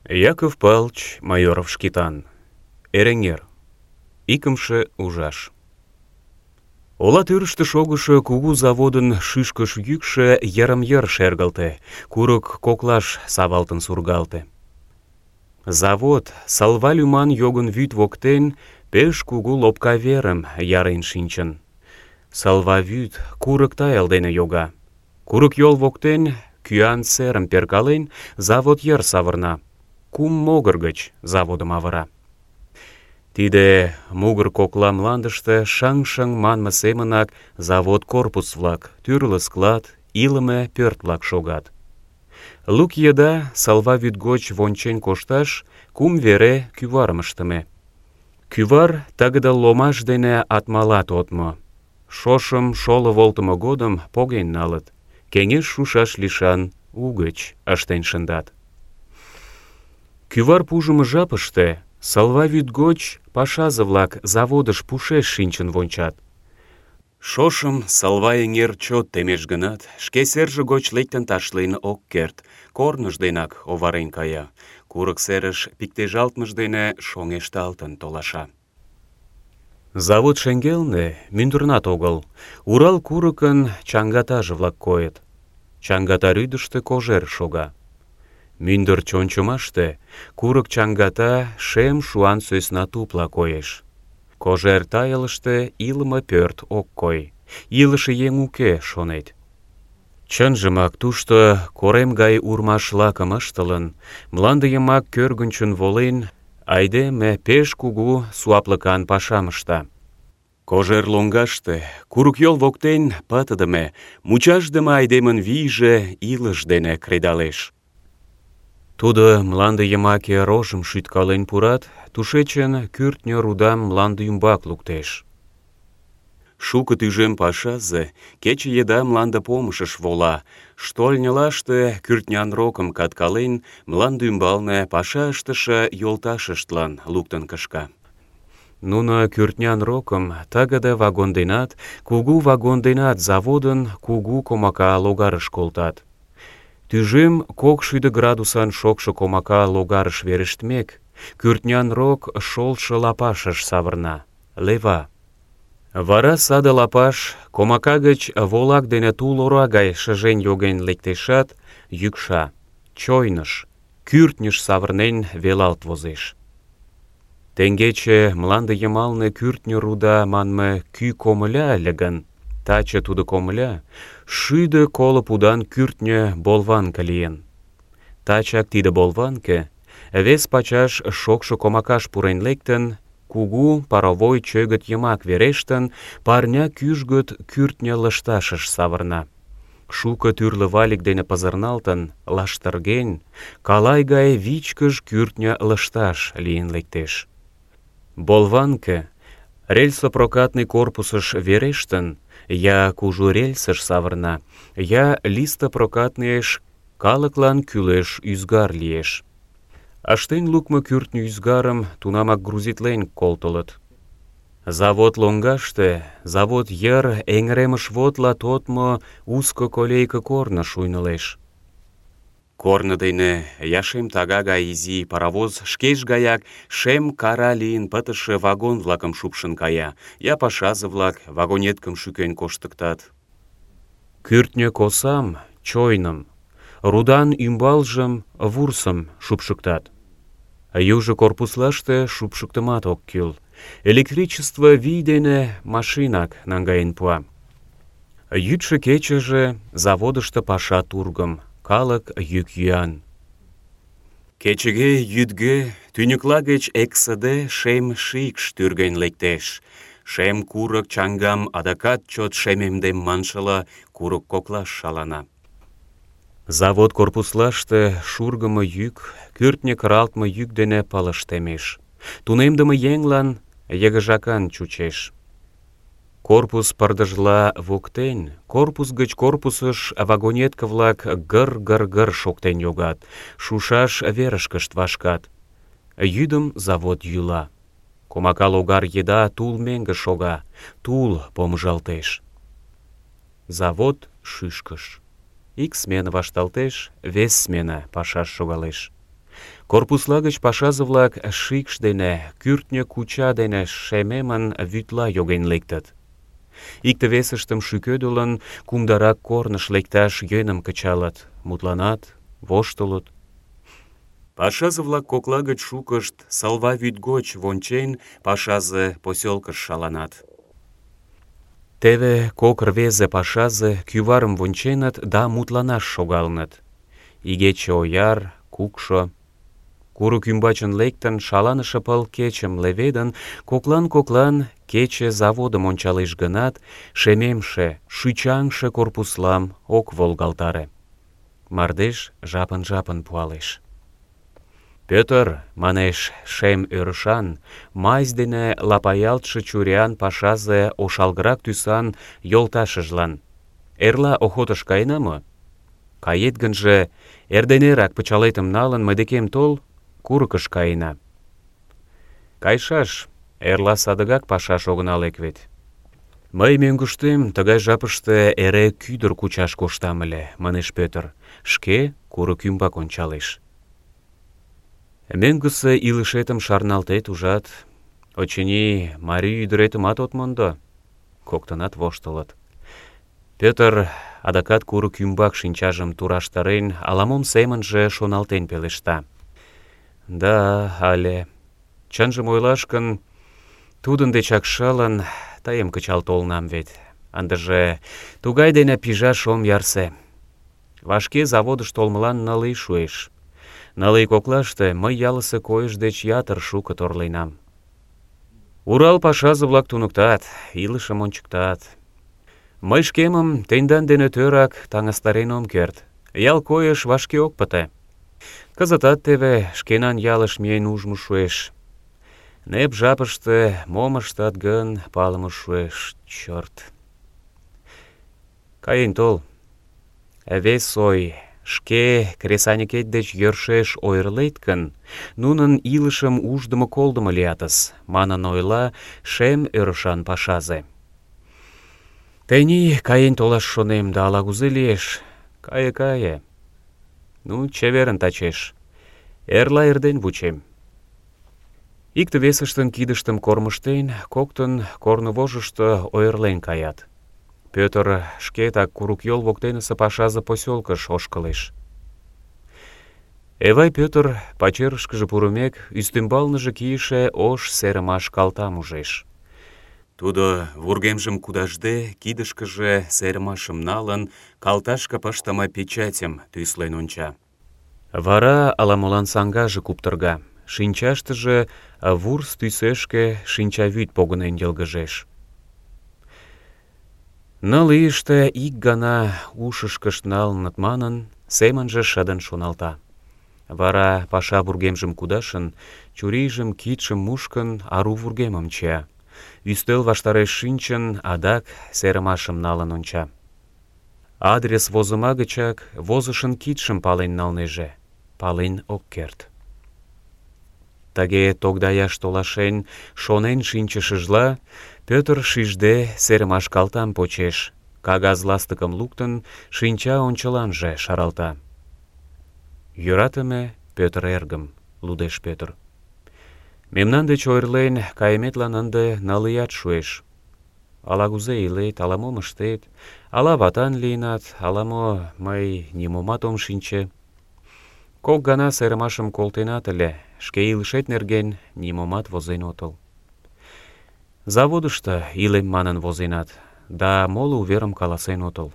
Яков Павлович Майоров Шкетан. Эреҥер. Икымше ужаш. Ола тӱрыштӧ шогышо кугу заводын шӱшкыш йӱкшӧ йырым-йыр шергылте, курык коклаш савалтын сургалте. Завод Салва лӱман йогын вӱд воктен пеш кугу лопка верым ярен шинчын. Салва вӱд курык тайыл дене йога. Курык йол воктен, кӱан серым перкален, завод йыр савырна. Кум могыр гыч заводым авыра. Тиде мугыр кокла мландыште шаҥ-шаҥ манме семынак завод корпус-влак, тӱрлӧ склад, илыме пӧрт-влак шогат. Лук еда Салва вӱд гоч вончен кошташ кум вере кӱварым ыштыме. Кӱвар тыгыде ломаш дене атмала тодмо. Шошым шоло волтымо годым поген налыт, кеҥеж шушаш лишан угыч ыштен шындат. Кӱвар пужымо жапыште Салва вӱд гоч пашазе-влак заводыш пушеш шинчын вончат. Шошым Салва эҥер чот темеш гынат, шке серже гоч лектын ташлен ок керт, корныж денак оварен кая, курык серыш пиктежалтмыж дене шоҥешталтын толаша. Завод шеҥгелне, мӱндырнат огыл, Урал курыкын чаҥгатаже-влак койыт. Чаҥгата рӱдыштӧ Кожер шога. Мӱндыр чончымаште курык чаҥгата шем шуан сӧсна тупла коеш. Кожер тайылыште илыме пӧрт ок кой, илыше еҥ уке, шонет. Чынжымак тушто корем гай урмаш-лакым ыштылын, мланде йымак кӧргынчын волен, айдеме пеш кугу суаплыкан пашам ышта. Кожер лоҥгаште, курык йол воктен пытыдыме, мучашдыме айдемын вийже илыш дене кредалеш. Тудо мланде йымаке рожым шӱткален пурат, тушечын кӱртньӧ рудам мланде ӱмбак луктеш. Шуко тӱжем пашазе кече еда мланде помышыш вола, штольньылаште кӱртнян рокым каткален, мланде ӱмбалне паша ыштыше йолташыштлан луктын кышка. Нуно кӱртнян рокым тыгыде вагон денат, кугу вагон денат заводын кугу комака логарыш колтат. Тӱжем 200 градусан шокшо комака логарыш верештмек, кӱртнян рок шолшо лапашыш савырна, лева. Вара саде лапаш комака гыч волак дене тул ора гай шыжен йоген лектешат, йӱкша, чойныш, кӱртньыш савырнен велалт возеш. Теҥгече мланде йымалне кӱртньӧ руда манме кӱ комыля ыле гын, таче тудо комыля 150 пудан кӱртньӧ болванке лийын. Тачак тиде болванке вес пачаш шокшо комакаш пурен лектын, кугу паровой чӧгыт йымак верештын, парня кӱжгыт кӱртньӧ лышташыш савырна. Шуко тӱрлӧ валик дене пызырналтын, лаштырген, калай гай вичкыж кӱртньӧ лышташ лийын лектеш. Болванке рельсопрокатный корпусыш верештын, я кужу рельсыш савырна, я листопрокатныйыш калыклан кӱлеш ӱзгар лиеш. Ыштен лукмо кӱртньӧ ӱзгарым тунамак грузитлен колтылыт. Завод лоҥгаште, завод йыр эҥыремышвотла тодмо узко колейке корно шуйнылеш. Корно дене я шем тага гай изи паровоз шкеж гаяк шем кара лийын пытыше вагон-влакым шупшын кая, я пашазе-влак вагонеткым шӱкен коштыктат. Кӱртньӧ косам, чойным, рудан ӱмбалжым, вурсым шупшыктат. Южо корпуслаште шупшыктымат ок кӱл. Электричество вий дене машинак наҥгаен пуа. Йӱдшӧ-кечыже заводышто паша тургым, калык йӱк-йӱан. Кечыге-йӱдге тӱньыкла гыч эксыде шем шикш тӱрген лектеш. Шем курык чаҥгам адакат чот шемемдем маншыла курык коклаш шалана. Завод корпуслаште шургымо йӱк, кӱртньӧ кыралтме йӱк дене пылыш темеш. Тунемдыме еҥлан йыгыжакан чучеш. Корпус пырдыжла воктен, корпус гыч корпусыш вагонетке-влак гыр-гыр-гыр шоктен йогат, шушаш верышкышт вашкат. Йӱдым завод йӱла. Комака логар еда тул меҥге шога, тул помыжалтеш. Завод шӱшкыш. Ик смена вашталтеш, вес смена пашаш шогалеш. Корпусла гыч пашазе-влак шикш дене, кӱртньӧ куча дене шемемын вӱдла йоген лектыт. Икте-весыштым шӱкедылын, кумдарак корныш лекташ йӧным кычалыт, мутланат, воштылыт. Пашазе-влак кокла гыч шукышт, Салва вӱд гоч вончен, пашазе посёлкыш шаланат. Теве кок рвезе пашазе кӱварым вонченыт да мутланаш шогалыныт. Игече ояр, кукшо. Курык ӱмбачын лектын, шаланыше пыл кечым леведын, коклан-коклан кече заводым ончалеш гынат, шемемше, шӱчаҥше корпуслам ок волгалтаре. Мардеж жапын-жапын пуалеш. «Пӧтыр, — манеш шем ӧрышан, мазь дене лапаялтше чуриян пашазе ошалгырак тӱсан йолташыжлан, — эрла охотыш каена мо? Кает гынже, эрденерак пычалетым налын, мый декем тол, курыкыш каена. Кайшаш, эрла садыгак пашаш огына лек вет. Мый мӧҥгыштем тыгай жапыште эре кӱдыр кучаш коштам ыле, — манеш Пӧтыр, шке курык ӱмбак ончалеш. Мӧҥгысӧ илышетым шарналтет, ужат? Очыни, марий ӱдыретымат от мондо. Коктынат воштылыт. Пӧтыр адакат курык ӱмбак шинчажым тураштарен, ала-мом семынже шоналтен пелешта. Да, але. Чынжым ойлаш гын, тудын дечак шылын, тыйым кычал толынам вет. Ындыже тугай дене пижаш ом ярсе. Вашке заводыш толмылан 9 ий шуэш. 9 ий коклаште мый ялысе койыш деч ятыр шуко торленам. Урал пашазе-влак туныктат, илышым ончыктат. Мый шкемым тендан дене тӧрак таҥастарен ом керт. Ял койыш вашке ок пыте. Кызытат теве шкенан ялыш миен ужмо шуэш. Нэп жапыште мом ыштат гын, палыме шуэш, чёрт. Каен тол. Вес ой, шке кресаньыкет деч йӧршеш ойырлет гын, нунын илышым уждымо-колдымо лиятыс, манын ойла шем ӧрышан пашазе. Тений каен толаш шонем, да ала-кузе лиеш. Кае. Ну, чеверын тачеш. Эрла эрден вучем. Икте-весыштын кидыштым кормыжтен, коктын корнывожышто ойырлен каят. Пӧтыр шкетак курык йол воктенысе пашазе посёлкыш ошкылеш. Эвай Пӧтыр пачерышкыже пурымек, ӱстембалныже кийыше ош серымаш калтам ужеш. Тудо, вургемжым кудашде, кидышкыже серымашым налын, калташке пыштыме печатьым тӱслен онча. Вара ала-молан саҥгаже куптырга, шинчаштыже вурс тӱсешке шинчавӱд погынен йылгыжеш. 9 ийыште ик гана ушышкышт налыныт манын, семынже шыдын шоналта. Вара паша вургемжым кудашын, чурийжым, кидшым мушкын, ару вургемым чия. Ӱстел ваштареш шинчын, адак серымашым налын онча. Адрес возыма гычак возышын кидшым пален налнеже, пален ок керт. Тыге тогдаяш толашен, шонен шинчышыжла, Пӧтыр шижде серымаш калтам почеш, кагаз ластыкым луктын, шинча ончыланже шаралта. «Йӧратыме Пӧтыр эргым», — лудеш Пӧтыр. «Мемнан деч ойырлен кайыметлан ынде 9 ият шуэш. Ала-кузе илет, ала-мом ыштет, ала ватан лийынат, ала-мо, мый нимомат ом шинче. Кок гана серымашым колтенат ыле, шке илышет нерген нимомат возен отыл. Заводышто илем манын возенат, да моло уверым каласен отыл.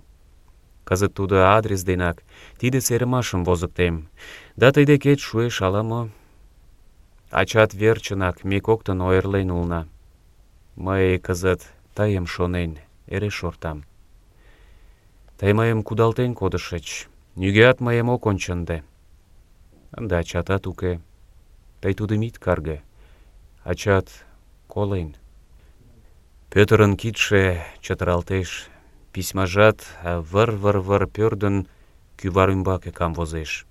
Кызыт тудо адрес денак тиде серымашым возыктем, да тый декет шуэш ала-мо. Ачат верчынак ме коктын ойырлен улына. Мый кызыт тыйым шонен эре шортам. Тый мыйым кудалтен кодышыч, нигӧат мыйым ок ончынде. Ынде ачатат уке. Тый тудым ит карге. Ачат колен». Пӧтырын кидше чытыралтеш, письмажат выр-выр-выр пӧрдын кӱвар ӱмбаке камвозеш.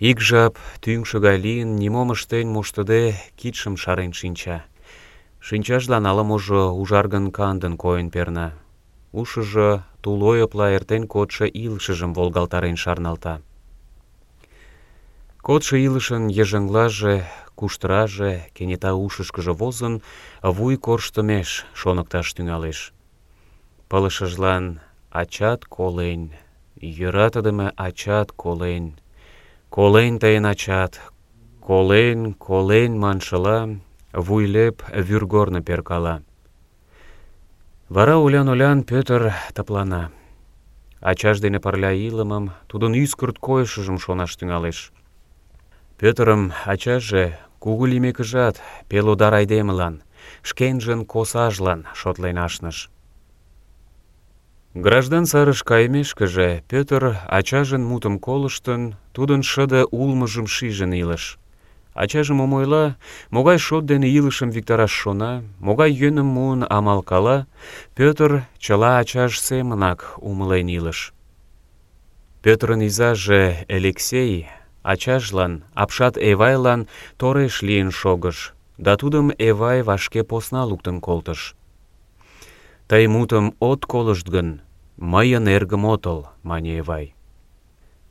Ик жап тӱҥшӧ гай лийын, нимом ыштен моштыде, кидшым шарен шинча. Шинчажлан ала-можо ужаргын-кандын койын перна. Ушыжо тул ойыпла эртен кодшо илышыжым волгалтарен шарналта. Кодшо илышын йыжыҥлаже, куштыраже кенета ушышкыжо возын, вуй корштымеш шоныкташ тӱҥалеш. Пылышыжлан ачат колен, йӧратыдыме ачат колен, колен тыйын ачат, колен, колен маншыла, вуйлеп вӱргорно перкала. Вара олян-олян Пӧтыр тыплана. Ачаж дене пырля илымым, тудын ӱскырт койышыжым шонаш тӱҥалеш. Пӧтырым ачаже кугу лиймекыжат пелодар айдемылан, шкенжын косажлан шотлен ашныш. Граждан сарыш кайымешкыже Пӧтыр ачажын мутым колыштын, тудын шыде улмыжым шижын илыш. Ачаже мом ойла, могай шот дене илышым виктараш шона, могай йӧным муын амалкала, Пӧтыр чыла ачаж семынак умылен илыш. Пӧтырын изаже Элексей ачажлан, апшат Эвайлан тореш лийын шогыш, да тудым Эвай вашке посна луктын колтыш. «Тый мутым от колышт гын, мыйын эргым отыл», — мане Эвай.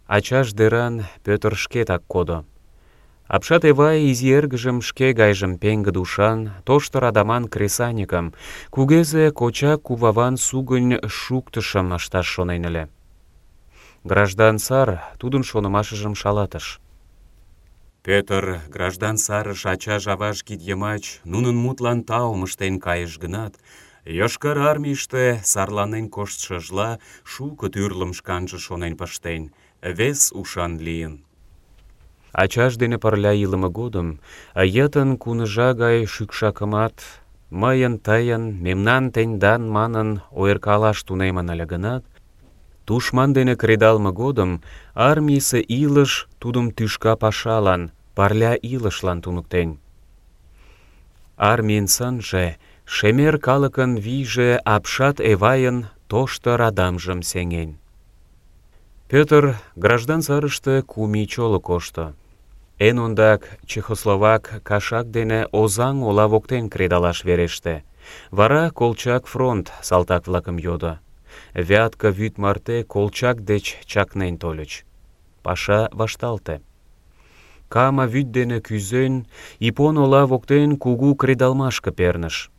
Ачаж деран Пӧтыр шкетак кодо. Апшат Эвай изи эргыжым шке гайжым пеҥгыде ушан, тошто радаман кресаньыкым, кугезе коча-куваван сугынь шуктышым ышташ шонен ыле. Граждан сар тудын шонымашыжым шалатыш. Пӧтыр граждан сарыш ачаж-аваж кид йымач нунын мутлан таум ыштен кайыш гынат, Йошкар Армийыште сарланен коштшыжла шуко тӱрлым шканже шонен пыштен, вес ушан лийын. Ачаж дене пырля илыме годым йытын куныжа гай шӱкшакымат, мыйын, тыйын, мемнан, тендан манын ойыркалаш тунемын ыле гынат, тушман дене кредалме годым армийысе илыш тудым тӱшка пашалан, пырля илышлан туныктен. Армийын сынже, шемер калыкын вийже апшат Эвайын тошто радамжым сеҥен. Пӧтыр граждан сарыште 3 ий чоло кошто. Эн ондак чехословак кашак дене Озаҥ ола воктен кредалаш вереште. Вара Колчак фронт салтак-влакым йодо. Вятка вӱд марте Колчак деч чакнен тольыч. Паша вашталте. Кама вӱд дене кӱзен, Ипон ола воктен кугу кредалмашке перныш.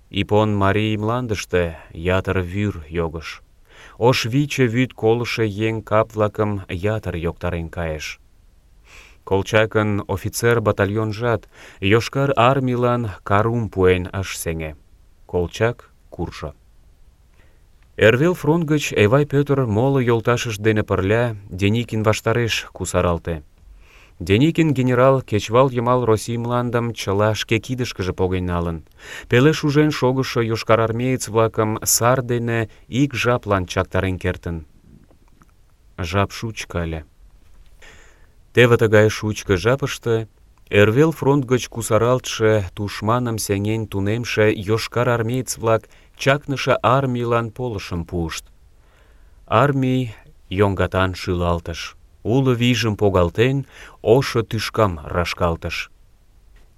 Ипон марий мландыште ятыр вӱр йогыш. Ош виче вӱд колышо еҥ кап-влакым ятыр йоктарен кайыш. Колчакын офицер батальонжат Йошкар Армийлан карум пуэн ыш сеҥе. Колчак куржо. Эрвел фронт гыч Эвай Пӧтыр моло йолташышт дене пырля Деникин ваштареш кусаралте. Деникин генерал кечывал йымал Россий мландым чыла шке кидышкыже поген налын. Пеле шужен шогышо йошкарармеец-влакым сар дене ик жаплан чактарен кертын. Жап шучко ыле. Теве тыгай шучко жапыште Эрвел фронт гыч кусаралтше тушманым сеҥен тунемше йошкарармеец-влак чакныше армийлан полышым пуышт. Армий йоҥгатан шӱлалтыш. Уло вийжым погалтен, ошо тӱшкам рашкалтыш.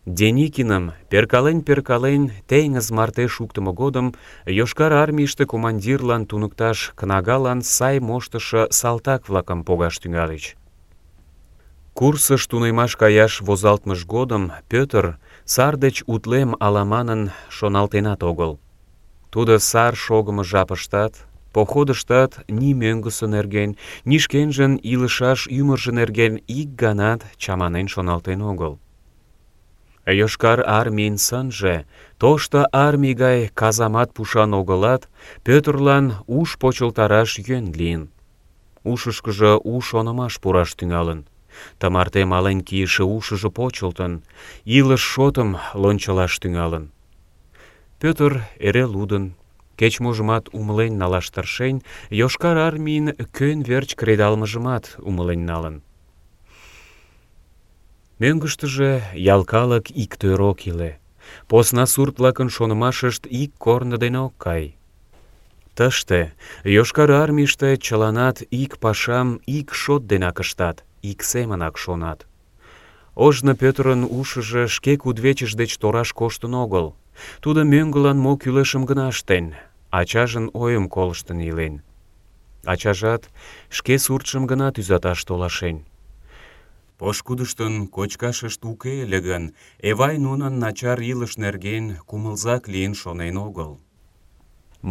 Деникиным перкален-перкален теҥыз марте шуктымо годым Йошкар Армийыште командирлан туныкташ кнагалан сай моштышо салтак-влакым погаш тӱҥальыч. Курсыш тунемаш каяш возалтмыж годым Пӧтыр сар деч утлем ала манын шоналтенат огыл. Тудо сар шогымо жапыштат, походыштат ни мӧҥгысӧ нерген, ни шкенжын илышаш ӱмыржӧ нерген ик ганат чаманен шоналтен огыл. Йошкар Армийын сынже тошто армий гай казамат пушан огылат, Пӧтырлан уш почылтараш йӧн лийын. Ушышкыжо у шонымаш пураш тӱҥалын. Тымарте мален кийыше ушыжо почылтын, илыш шотым лончылаш тӱҥалын. Пӧтыр эре лудын, кеч-можымат умылен налаш тыршен, Йошкар Армийын кӧн верч кредалмыжымат умылен налын. Мӧҥгыштыжӧ ял калык иктӧр ок иле. Посна сурт-влакын шонымашышт ик корно дене ок кай. Тыште, Йошкар Армийыште чыланат ик пашам ик шот денак ыштат, ик семынак шонат. Ожно Пӧтырын ушыжо шке кудывечыж деч тораш коштын огыл. Тудо мӧҥгылан мо кӱлешым гына ыштен, ачажын ойым колыштын илен. Ачажат шке суртшым гына тӱзаташ толашен. Пошкудыштын кочкашышт уке ыле гын, Эвай нунын начар илыш нерген кумылзак лийын шонен огыл.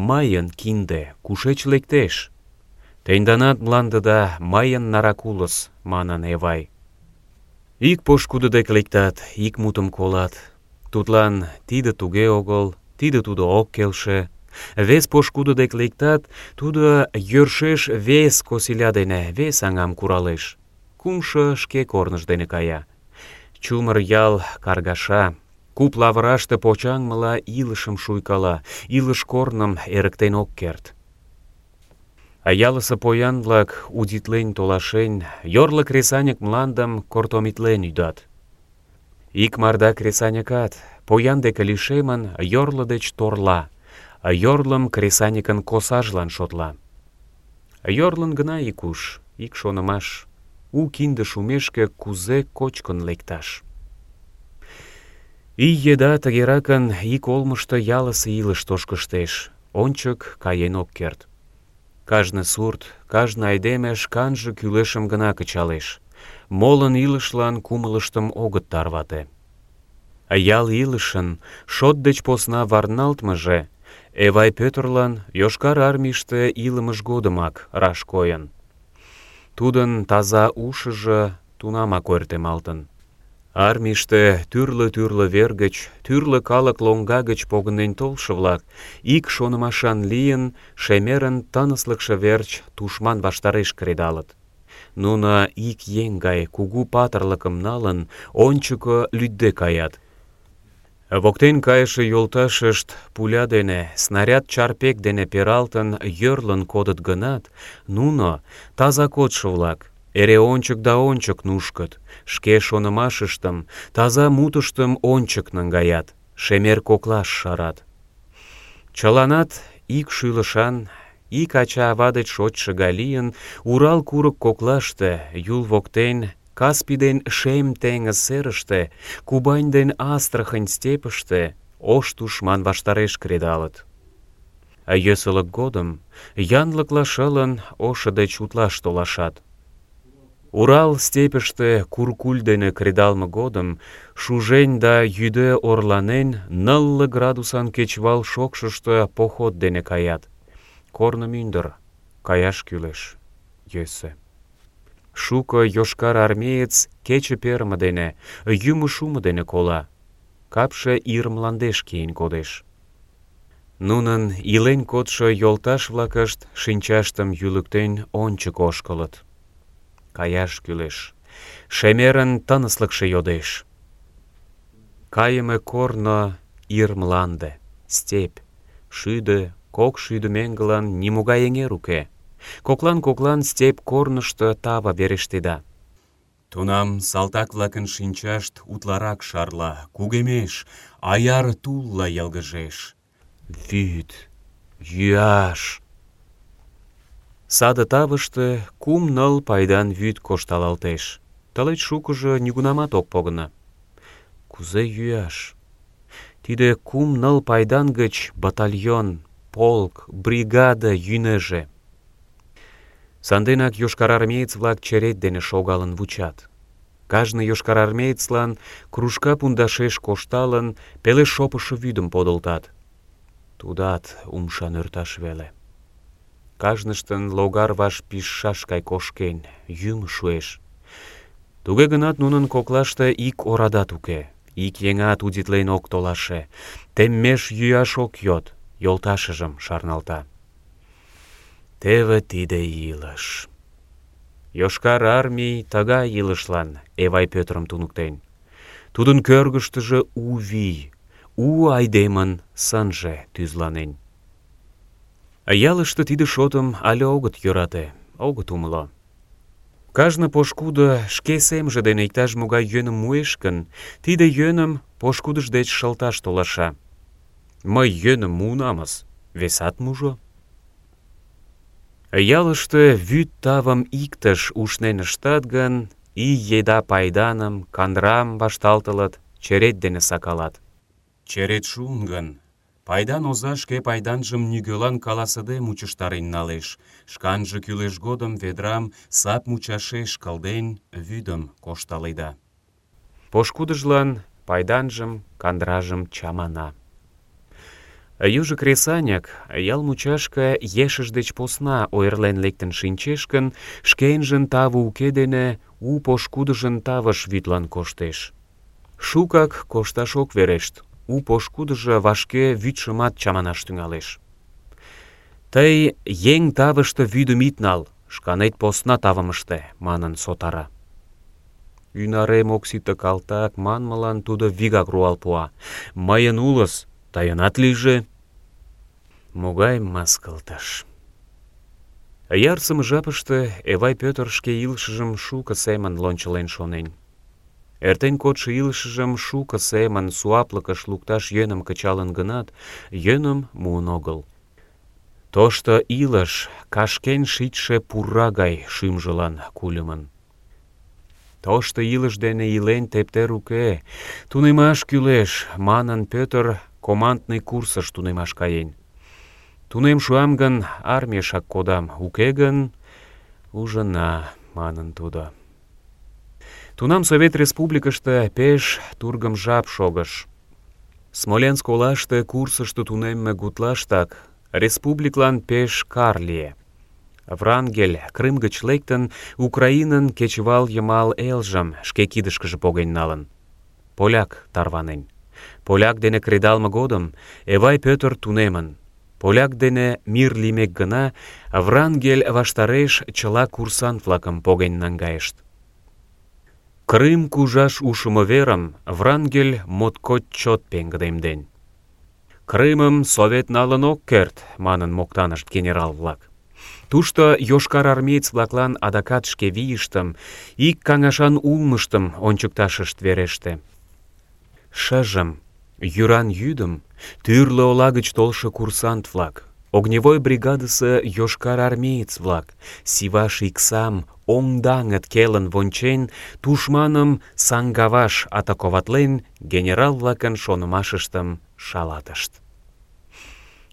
«Мыйын кинде кушеч лектеш? Тенданат мландыда мыйын нарак улыс», — манын Эвай. Ик пошкудо дек лектат, ик мутым колат. Тудлан тиде туге огыл, тиде тудо ок келше. Вес пошкудо дек лектат, тудо йӧршеш вес косиля дене вес аҥам куралеш. Кумшо шке корныж дене кая. Чумыр ял каргаша, куп лавыраште почаҥмыла илышым шуйкала, илыш корным эрыктен ок керт. А ялысе поян-влак, удитлен толашен, йорло кресаньык мландым кортомитлен ӱдат. Ик марда кресаньыкат, поян деке лишемын, йорло деч торла, а йорлым кресаньыкын косажлан шотла. Йорлын гына ик уш, ик шонымаш: у кинде шумешке кузе кочкын лекташ. Ий еда тыгеракын ик олмышто ялысе илыш тошкыштеш, ончык каен ок керт. Кажне сурт, кажне айдеме шканже кӱлешым гына кычалеш. Молын илышлан кумылыштым огыт тарвате. А ял илышын шот деч посна варналтмыже Эвай Пӧтырлан Йошкар Армийыште илымыж годымак раш койын. Тудын таза ушыжо тунамак ойыртемалтын. Армийыште тӱрлӧ вер гыч, тӱрлӧ калык лоҥга гыч погынен толшо-влак, ик шонымашан лийын, шемерын тыныслыкше верч тушман ваштареш кредалыт. Нуно ик еҥ гай кугу патырлыкым налын, ончыко лӱдде каят. Воктен кайыше йолташышт пуля дене, снаряд чарпек дене пералтын, йӧрлын кодыт гынат, нуно, таза кодшо-влак, эре ончык да ончык нушкыт, шке шонымашыштым, таза мутыштым ончык наҥгаят, шемер коклаш шарат. Чыланат ик шӱлышан, ик ача-ава деч шочшо гай лийын, Урал курык коклаште, Юл воктен, Каспий ден Шем теҥыз серыште, Кубань ден Астрахань степьыште ош тушман ваштареш кредалыт. А йӧсылык годым янлыкла шылын ошо деч утлаш толашат. Урал степьыште куркуль дене кредалме годым шужен да йӱде орланен 0 градусан кечывал шокшышто поход дене каят. Корно мӱндыр, каяш кӱлеш, йӧсӧ. Шуко йошкар армеец кече перыме дене, йӱмӧ шумо дене кола. Капше ир мландеш киен кодеш. Нунын илен кодшо йолташ-влакышт шинчаштым йӱлыктен ончык ошкылыт. Каяш кӱлеш. Шемерын тыныслыкше йодеш. Кайыме корно ир мланде, степь, 100-200 меҥгылан нимогай эҥер уке. Коклан-коклан степь корнышто тава верештеда. Тунам салтак-влакын шинчашт утларак шарла, кугемеш, аяр тулла йылгыжеш. Вӱд, йӱаш. Саде тавыште 3-4 пайдан вӱд кошталалтеш. Тылеч шукыжо нигунамат ок погыно. Кузе йӱаш? Тиде 3-4 пайдан гыч батальон, полк, бригада йӱнеже. Санденак йошкарармеец-влак черет дене шогалын вучат. Кажне йошкарармеецлан кружка пундашеш кошталын, пеле шопышо вӱдым подылтат. Тудат умша нӧрташ веле. Кажныштын логар ваш пижшаш гай кошкен, йӱмӧ шуэш. Туге гынат нунын коклаште ик орадат уке, ик еҥат удитлен ок толаше, теммеш йӱаш ок йод, йолташыжым шарналта. Теве тиде илыш. Йошкар Армий тыгай илышлан Эвай Пӧтырым туныктен. Тудын кӧргыштыжӧ у вий, у айдемын сынже тӱзланен. Ялыште тиде шотым але огыт йӧрате, огыт умыло. Кажне пошкудо шке семже дене иктаж-могай йӧным муэш гын, тиде йӧным пошкудыж деч шылташ толаша. Мый йӧным муынамыс, весат мужо. Ялыште вӱд тавым иктыш ушнен ыштат гын, ий еда пайданым, кандрам вашталтылыт, черет дене сакалат. Черет шуын гын, Пайдан оза шке пайданжым нигӧлан каласыде мучыштарен налеш, шканже кӱлеш годым ведрам сап мучашеш кылден, вӱдым кошталеда. Пошкудыжлан пайданжым, кандражым чамана. Южо кресаньык ял мучашке ешыж деч посна ойырлен лектын шинчеш гын, шкенжын таве уке дене у пошкудыжын тавыш вӱдлан коштеш. Шукак кошташ ок верешт, у пошкудыжо вашке вӱдшымат чаманаш тӱҥалеш. «Тый еҥ тавыште вӱдым ит нал, шканет посна тавым ыште», — манын сотара. «Ӱнарем ок сите, калтак», — манмылан тудо вигак руал пуа. «Мыйын улыс, тыйынат лийже». Могай мыскылтыш! Ярсыме жапыште Эвай Пӧтыр шке илышыжым шуко семын лончылен шонен. Эртен кодшо илышыжым шуко семын суаплыкыш лукташ йӧным кычалын гынат, йӧным муын огыл. Тошто илыш кашкен шичше пура гай шӱмжылан кульымын. Тошто илыш дене илен тептер уке, тунемаш кӱлеш, манын Пӧтыр командный курсыш тунемаш каен. Тунем шуам гын, армийышак кодам, уке гын, ужына, манын тудо. Тунам Совет Республикыште пеш тургым жап шогыш. Смоленск олаште курсышто тунемме гутлаштак республиклан пеш кар лие. Врангель Крым гыч лектын, Украинын кечывал йымал элжым шке кидышкыже поген налын. Поляк тарванен. Поляк дене кредалме годым Эвай Пӧтыр тунемын. Поляк дене мир лиймек гына, Врангель ваштареш чыла курсант-влакым поген наҥгайышт. Крым кужаш ушымо верым Врангель моткоч чот пеҥгыдемден. «Крымым Совет налын ок керт», — манын моктанышт генерал-влак. Тушто йошкарармеец-влаклан адакат шке вийыштым, ик каҥашан улмыштым ончыкташышт вереште. Шыжым, йӱран йӱдым, тӱрлӧ ола гыч толшо курсант-влак, огневой бригадысе йошкарармеец-влак, Сиваш иксам оҥ-даҥыт келын вончен, тушманым саҥгаваш атаковатлен, генерал-влакын шонымашыштым шалатышт.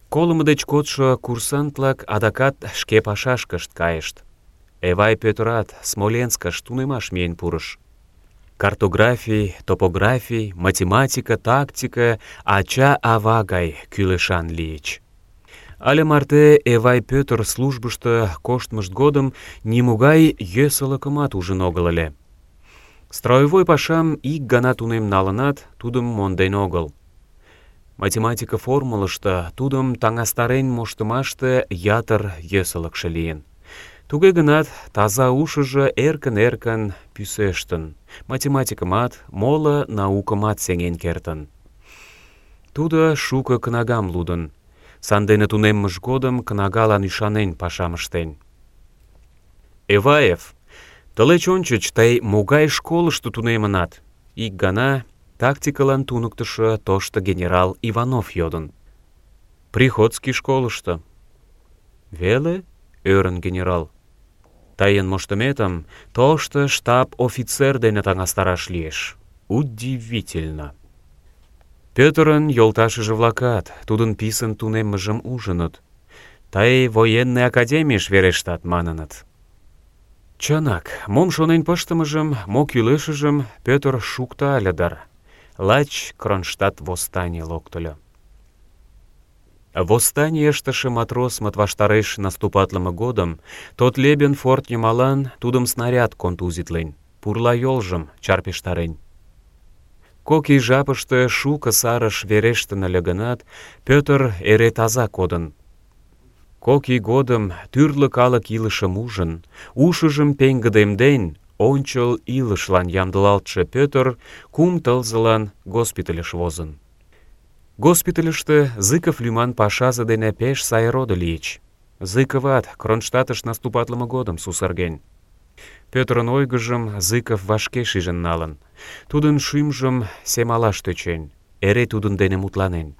Колымо деч кодшо курсант-влак адакат шке пашашкышт кайышт. Эвай Пӧтырат Смоленскыш тунемаш миен пурыш. Картографий, топографий, математика, тактика ача-ава гай кӱлешан лийыч. Але марте Эвай Пӧтыр службышто коштмышт годым нимогай йӧсылыкымат ужын огыл ыле. Строевой пашам ик гана тунем налынат, тудым монден огыл. Математика формулышто тудым таҥастарен моштымаште ятыр йӧсылыкшӧ лийын. Туге гынат, таза ушыжо эркын-эркын пӱсештын, математикымат, моло наукымат сеҥен кертын. Тудо шуко кнагам лудын, сандене тунеммыж годым кнагалан ӱшанен пашам ыштен. «Эваев, тылеч ончыч тый могай школышто тунемынат?» — ик гана тактикылан туныктышо тошто генерал Иванов йодын. «Приходский школышто». «Веле?» — ӧрын генерал. «Тыйын моштыметым тошто штаб-офицер дене таҥастараш лиеш. Удивительно». Пӧтырын йолташыже-влакат тудын писын тунеммыжым ужыныт. «Тый военный академийыш верештат», — маныныт. Чынак, мом шонен пыштымыжым, мо кӱлешыжым Пӧтыр шукта ыле дыр. Лач Кронштадт восстаний локтыльо. Восстаний ыштыше матросмыт ваштареш наступатлыме годым Тотлебен форт йымалан тудым снаряд контузитлен, пурла йолжым чарпештарен. Кок ий жапыште шуко сарыш верештын ыле гынат, Пӧтыр эре таза кодын. Кок ий годым тӱрлӧ калык илышым ужын, ушыжым пеҥгыдемден, ончыл илышлан ямдылалтше Пӧтыр 3 тылзылан госпитальыш возын. Госпитальыште Зыков лӱман пашазе дене пеш сай родо лийыч. Зыковат Кронштадтыш наступатлыме годым сусырген. Пӧтырын ойгыжым Зыков вашке шижын налын. Тудын шӱмжым семалаш тӧчен, эре тудын дене мутланен.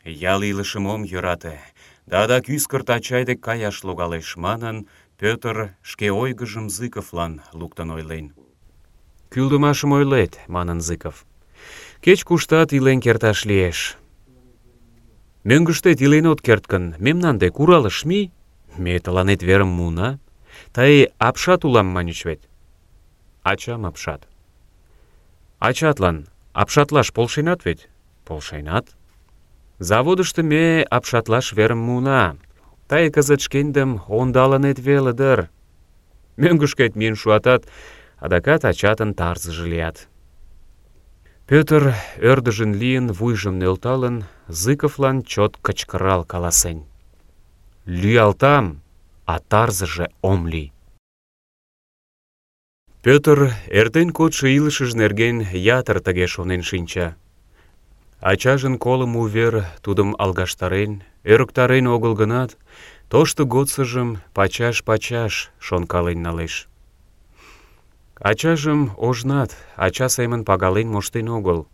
«Ял илышым ом йӧрате, да адак ӱскырт ачай дек каяш логалеш», — манын, Пӧтыр шке ойгыжым Зыковлан луктын ойлен. «Кӱлдымашым ойлет», — манын Зыков. «Кеч-куштат илен керташ лиеш». Мӧҥгыштет илен от керт гын, мемнан дек Уралыш мий, ме тыланет верым муына. Тый апшат улам маньыч вет. Ачам апшат. Ачатлан апшатлаш полшенат вет? Полшенат. Заводышто ме апшатлаш верым муына. Тый кызыт шкендым ондалынет веле дыр. Мӧҥгышкет миен шуатат, адакат ачатын тарзыже лият. Пӧтыр, ӧрдыжын лийын, вуйжым нӧлталын, Зыковлан чот кычкырал каласен: «Лӱялтам, а тарзыже ом лий». Пӧтыр эртен кодшо илышыж нерген ятыр тыге шонен шинча. Ачажын колымо увер тудым алгаштарен, ӧрыктарен огыл гынат, тошто годсыжым пачаш-пачаш шонкален налеш. Ачажым ожнат ача семын пагален моштен огыл.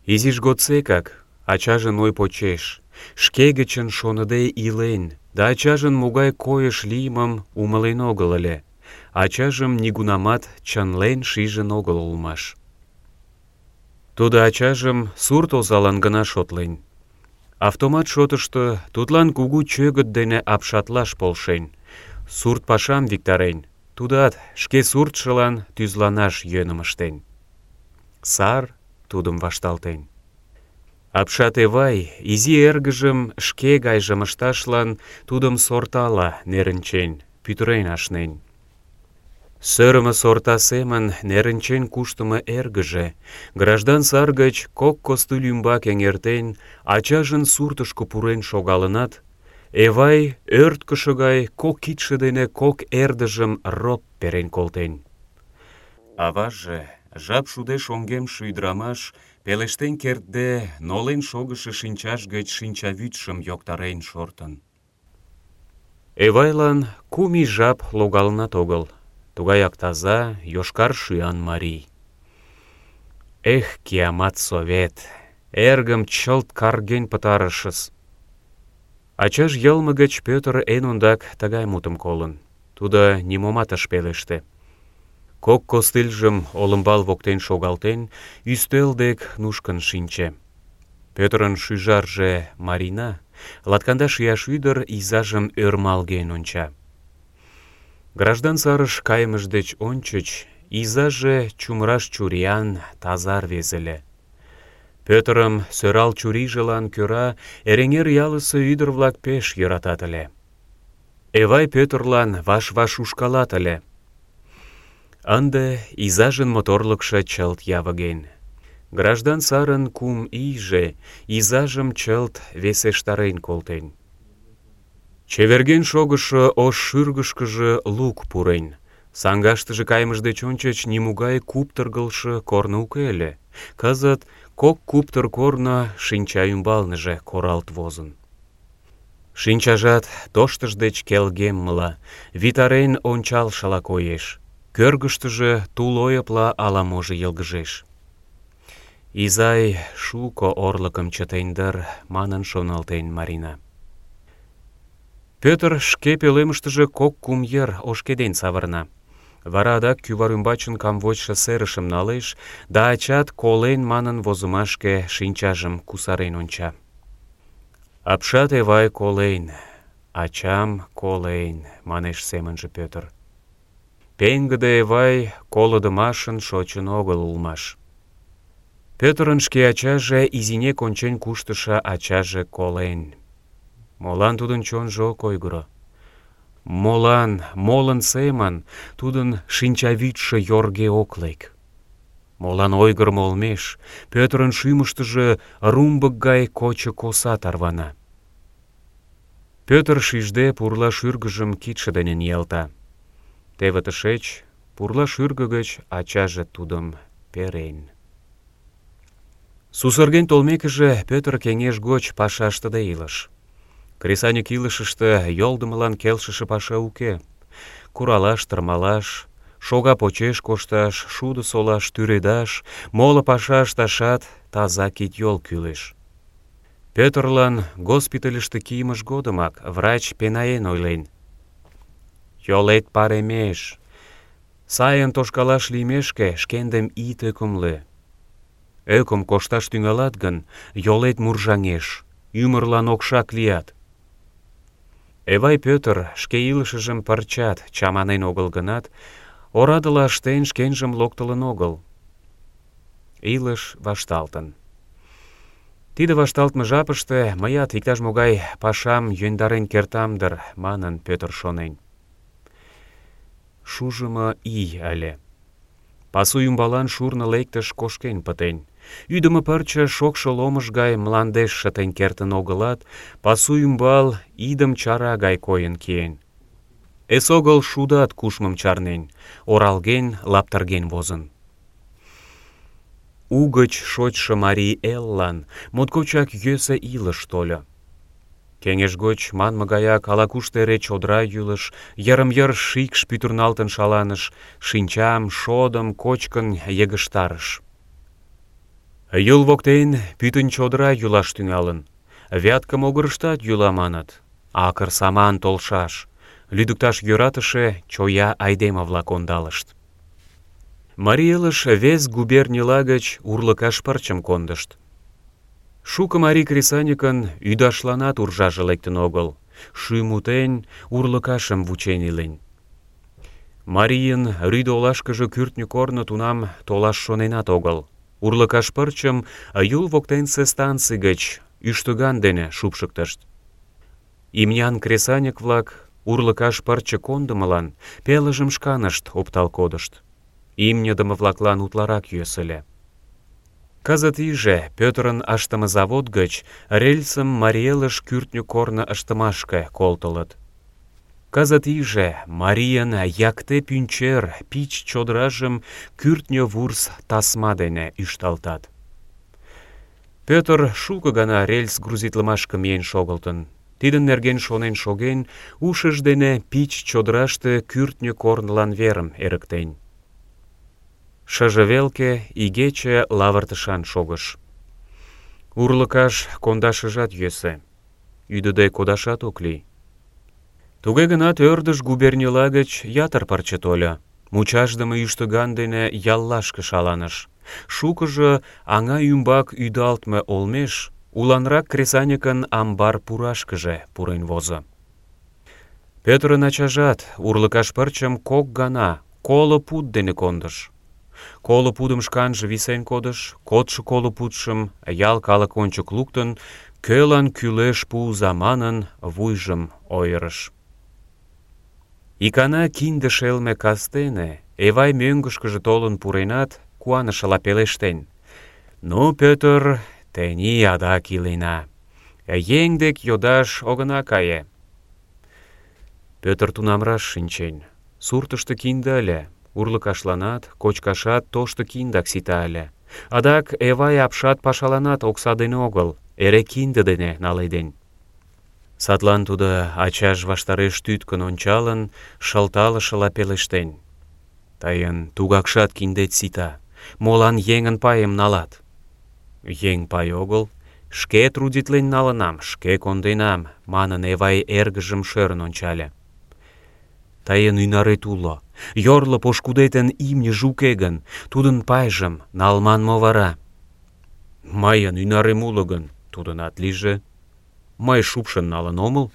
Изиж годсекак ачажын ой почеш, шке гычын шоныде илен, да ачажын могай койыш лиймым умылен огыл ыле. Ачажым нигунамат чынлен шижын огыл улмаш. Тудо ачажым сурт озалан гына шотлен. Автомат шотышто тудлан кугу чӧгыт дене апшатлаш полшен, сурт пашам виктарен, тудат шке суртшылан тӱзланаш йӧным ыштен. Сар тудым вашталтен. Апшат Эвай изи эргыжым шке гайжым ышташлан тудым сортала нерынчен, пӱтырен ашнен. Сӧрымӧ сорта семын нерынчен куштымо эргыже, граждан сар гыч кок костыль ӱмбак эҥертен, ачажын суртышко пурен шогалынат, Эвай ӧрткышӧ гай кок кидше дене кок эрдыжым роп перен колтен. Аваже, жап шудеш оҥгемше ӱдырамаш, пелештен кертде, нолен шогышо шинчаж гыч шинчавӱдшым йоктарен шортын. Эвайлан 3 ий жап логалынат огыл. Тугаяк таза, йошкар шӱян марий. Эх, киямат Совет! Эргым чылт карген пытарышыс. Ачаж йылме гыч Пӧтыр эн ондак тыгай мутым колын. Тудо нимомат ыш пелеште. Кок костыльжым олымбал воктен шогалтен, ӱстел дек нушкын шинче. Пӧтырын шӱжарже Марина, 12 ияш ӱдыр, изажым ӧрмалген онча. Граждан сарыш кайымыж деч ончыч изаже чумыраш чуриян, таза рвезе ыле. Пӧтырым сӧрал чурийжылан кӧра Эреҥер ялысе ӱдыр-влак пеш йӧратат ыле. Эвай Пӧтырлан ваш-ваш ушкалат ыле. Ынде изажын моторлыкшо чылт явыген. Граждан сарын 3 ийже изажым чылт весештарен колтен. Чеверген шогышо ош шӱргышкыжӧ лук пурен. Саҥгаштыже кайымыж деч ончыч нимогай куптыргылшо корно уке ыле. Кызыт кок куптыр корно шинча ӱмбалныже коралт возын. Шинчажат тоштыж деч келгеммыла, витарен ончалшыла коеш. Кӧргыштыжӧ тул ойыпла ала-можо йылгыжеш. «Изай шуко орлыкым чытен дыр», манын шоналтен Марина. Пӧтыр шке пӧлемыштыже 2-3 йыр ошкеден савырна. Вара адак кӱвар ӱмбачын камвочшо серышым налеш да ачат колен манын возымашке шинчажым кусарен онча. «Апшат Эвай колен, ачам колен», манеш семынже Пӧтыр. Пеҥгыде Эвай колыдымашын шочын огыл улмаш. Пӧтырын шке ачаже, изинек ончен куштышо ачаже колен. Молан тудын чонжо ок ойгыро? Молан, молын семын тудын шинчавӱдшӧ йорге ок лек? Молан ойгырымо олмеш Пӧтырын шӱмыштыжӧ румбык гай кочо коса тарвана? Пӧтыр шижде пурла шӱргыжым кидше дене ниялта. Теве тышеч пурла шӱргӧ гыч ачаже тудым перен. Сусырген толмекыже, Пӧтыр кеҥеж гоч паша ыштыде илыш. Кресаньык илышыште йолдымылан келшыше паша уке. Куралаш, тырмалаш, шога почеш кошташ, шудо солаш, тӱредаш, моло паша ышташат таза кид-йол кӱлеш. Пӧтырлан госпитальыште кийымыж годымак врач пенаен ойлен: «Йолет паремеш. Сайын тошкалаш лиймешке шкендым ит ӧкымлӧ. Ӧкым кошташ тӱҥалат гын, йолет муржаҥеш. ӱмырлан окшак лият. Эвай Пӧтыр шке илышыжым пырчат чаманен огыл гынат, орадыла ыштен шкенжым локтылын огыл. Илыш вашталтын. Тиде вашталтме жапыште мыят иктаж-могай пашам йӧндарен кертам дыр, манын Пӧтыр шонен. Шужымо ий ыле. Пасу ӱмбалан шурно лектыш кошкен пытен. Ӱдымӧ пырче шокшо ломыж гай мландеш шытен кертын огылат, пасу ӱмбал идым чара гай койын киен. Эсогыл шудат кушмым чарнен, оралген, лаптырген возын. Угыч шочшо марий эллан моткочак йӧсӧ илыш тольо. Кеҥеж гоч манме гаяк ала-кушто эре чодыра йӱлыш, йырым-йыр шикш пӱтырналтын шаланыш, шинчам, шодым кочкын йыгыжтарыш. Юл воктен пӱтынь чодыра йӱлаш тӱҥалын. Вятке могырыштат йӱла маныт. Акыр саман толшаш. Лӱдыкташ йӧратыше чоя айдеме-влак ондалышт. Марий элыш вес губернийла гыч урлыкаш пырчым кондышт. Шуко марий кресаньыкын ӱдашланат уржаже лектын огыл. Шӱм утен, урлыкашым вучен илен. Марийын рӱдӧ олашкыже кӱртньӧ корно тунам толаш шоненат огыл. Урлыкаш пырчым Юл воктенсе станций гыч ӱштыган дене шупшыктышт. Имнян кресаньык-влак урлыкаш пырче кондымылан пелыжым шканышт оптал кодышт. Имньыдыме-влаклан утларак йӧсӧ ыле. Кызыт иже Пӧтырын ыштыме завод гыч рельсым Марий элыш кӱртньӧ корно ыштымашке колтылыт. Кызыт иже марийын якте пӱнчер пич чодыражым кӱртньӧ вурс тасма дене ӱшталтат. Пӧтыр шуко гана рельс грузитлымашке миен шогылтын. Тидын нерген шонен шоген, ушыж дене пич чодыраште кӱртньӧ корнылан верым эрыктен. Шыже велке игече лавыртышан шогыш. Урлыкаш кондашыжат йӧсӧ. Ӱдыде кодашат ок лий. Туге гынат ӧрдыж губернийла гыч ятыр пырче тольо. Мучашдыме ӱштыган дене яллашке шаланыш. Шукыжо аҥа ӱмбак ӱдалтме олмеш уланрак кресаньыкын амбар пурашкыже пурен возо. Пӧтырын ачажат урлыкаш пырчым кок гана 50 пуд дене кондыш. 50 пудым шканже висен кодыш, кодшо 50 пудшым ял калык ончык луктын, кӧлан кӱлеш пуыза манын, вуйжым ойырыш. Икана кинде шелме кастене Эвай мӧҥгышкыжӧ толын пуренат, куанышыла пелештен: «Ну, Пӧтыр, тений адак илена. Еҥ дек йодаш огына кае». Пӧтыр тунам раш шинчен. Суртышто кинде ыле. Урлыкашланат, кочкашат тошто киндак сита ыле. Адак Эвай апшат пашаланат окса дене огыл, эре кинде дене наледен. Садлан тудо ачаж ваштареш тӱткын ончалын, шылталышыла пелештен: «Тыйын тугакшат киндет сита. Молан еҥын пайым налат?» «Еҥ пай огыл. Шке трудитлен налынам, шке конденам», — манын Эвай эргыжым шӧрын ончале. «Тыйын ӱнарет уло. Йорло пошкудетын имньыже уке гын, тудын пайжым налман мо вара?» «Мыйын ӱнарем уло гын, тудынат лийже. Мый шупшын налын омыл».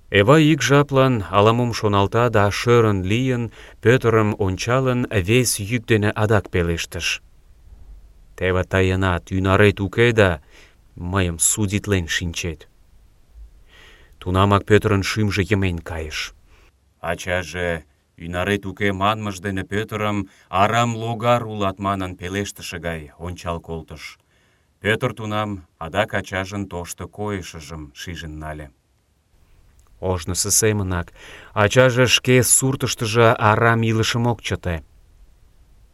Эвай ик жаплан ала-мом шоналта да шӧрын лийын, Пӧтырым ончалын, вес йӱк дене адак пелештыш: «Теве тыйынат ӱнарет уке да мыйым судитлен шинчет». Тунамак Пӧтырын шӱмжӧ йымен кайыш. Ачаже ӱнарет уке манмыж дене Пӧтырым арам логар улат манын пелештыше гай ончал колтыш. Пӧтыр тунам адак ачажын тошто койышыжым шижын нале. Ожнысо семынак ачаже шке суртыштыжо арам илышым ок чыте.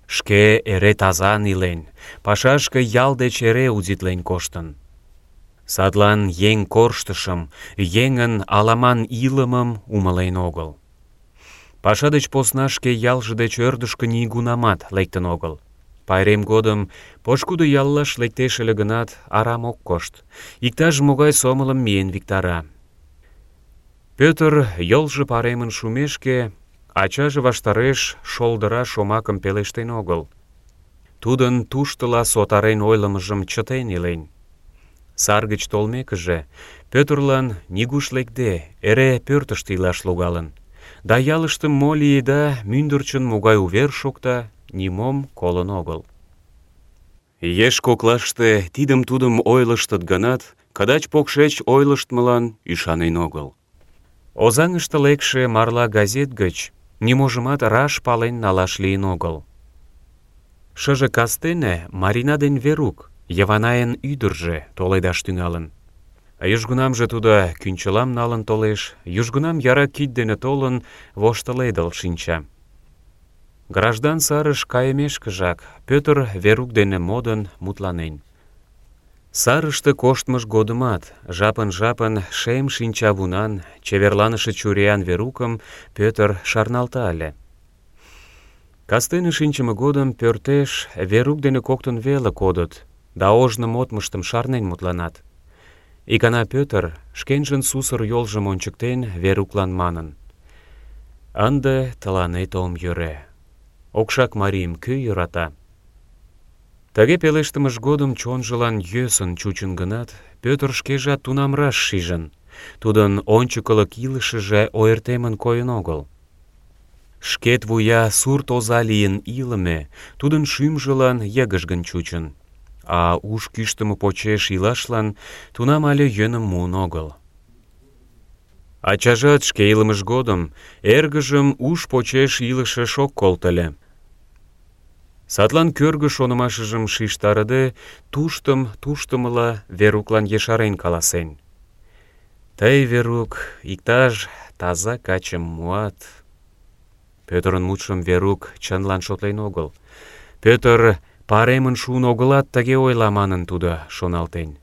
Шке эре тазан илен, пашашке ял деч эре удитлен коштын. Садлан еҥ корштышым, еҥын аламан илымым умылен огыл. Паша деч посна шке ялже деч ӧрдыжкӧ нигунамат лектын огыл. Пайрем годым пошкудо яллаш лектеш ыле гынат, арам ок кошт. Иктаж-могай сомылым миен виктара. Пӧтыр йолжо паремын шумешке, ачаже ваштареш шолдыра шомакым пелештен огыл. Тудын туштыла сотарен ойлымыжым чытен илен. Сар гыч толмекыже, Пӧтырлан нигуш лекде, эре пӧртыштӧ илаш логалын. Да ялыште мо лиеда, мӱндырчын могай увер шокта, нимом колын огыл. Еш коклаште тидым-тудым ойлыштыт гынат, кыдач-покшеч ойлыштмылан ӱшанен огыл. Озаҥыште лекше «Марла» газет гыч ниможымат раш пален налаш лийын огыл. Шыже кастене Марина ден Верук, Йыванайын ӱдыржӧ, толедаш тӱҥалын. Южгунамже тудо кӱнчылам налын толеш, южгунам яра кид дене толын, воштыледыл шинча. Граждан сарыш кайымешкыжак Пӧтыр Верук дене модын, мутланен. Сарыште коштмыж годымат жапын-жапын шем шинчавунан, чеверланыше чуриян Верукым Пӧтыр шарналта ыле. Кастене шинчыме годым пӧртеш Верук дене коктын веле кодыт, да ожно модмыштым шарнен мутланат. Икана Пӧтыр, шкенжын сусыр йолжым ончыктен, Веруклан манын: «Ынде тыланет ом йӧрӧ. Окшак марийым кӧ йӧрата?» Тыге пелештымыж годым чонжылан йӧсын чучын гынат, Пӧтыр шкежат тунам раш шижын: тудын ончыкылык илышыже ойыртемын койын огыл. Шкет вуя сурт оза лийын илыме тудын шӱмжылан йыгыжгын чучын, а уш кӱштымӧ почеш илашлан тунам але йӧным муын огыл. Ачажат шке илымыж годым эргыжым уш почеш илышыш ок колто ыле. Садлан кӧргӧ шонымашыжым шижтарыде, туштымыла Веруклан ешарен каласен: «Тый, Верук, иктаж таза качым муат». Пӧтырын мутшым Верук чынлан шотлен огыл. Пӧтыр паремын шуын огылат, тыге ойла манын тудо шоналтен.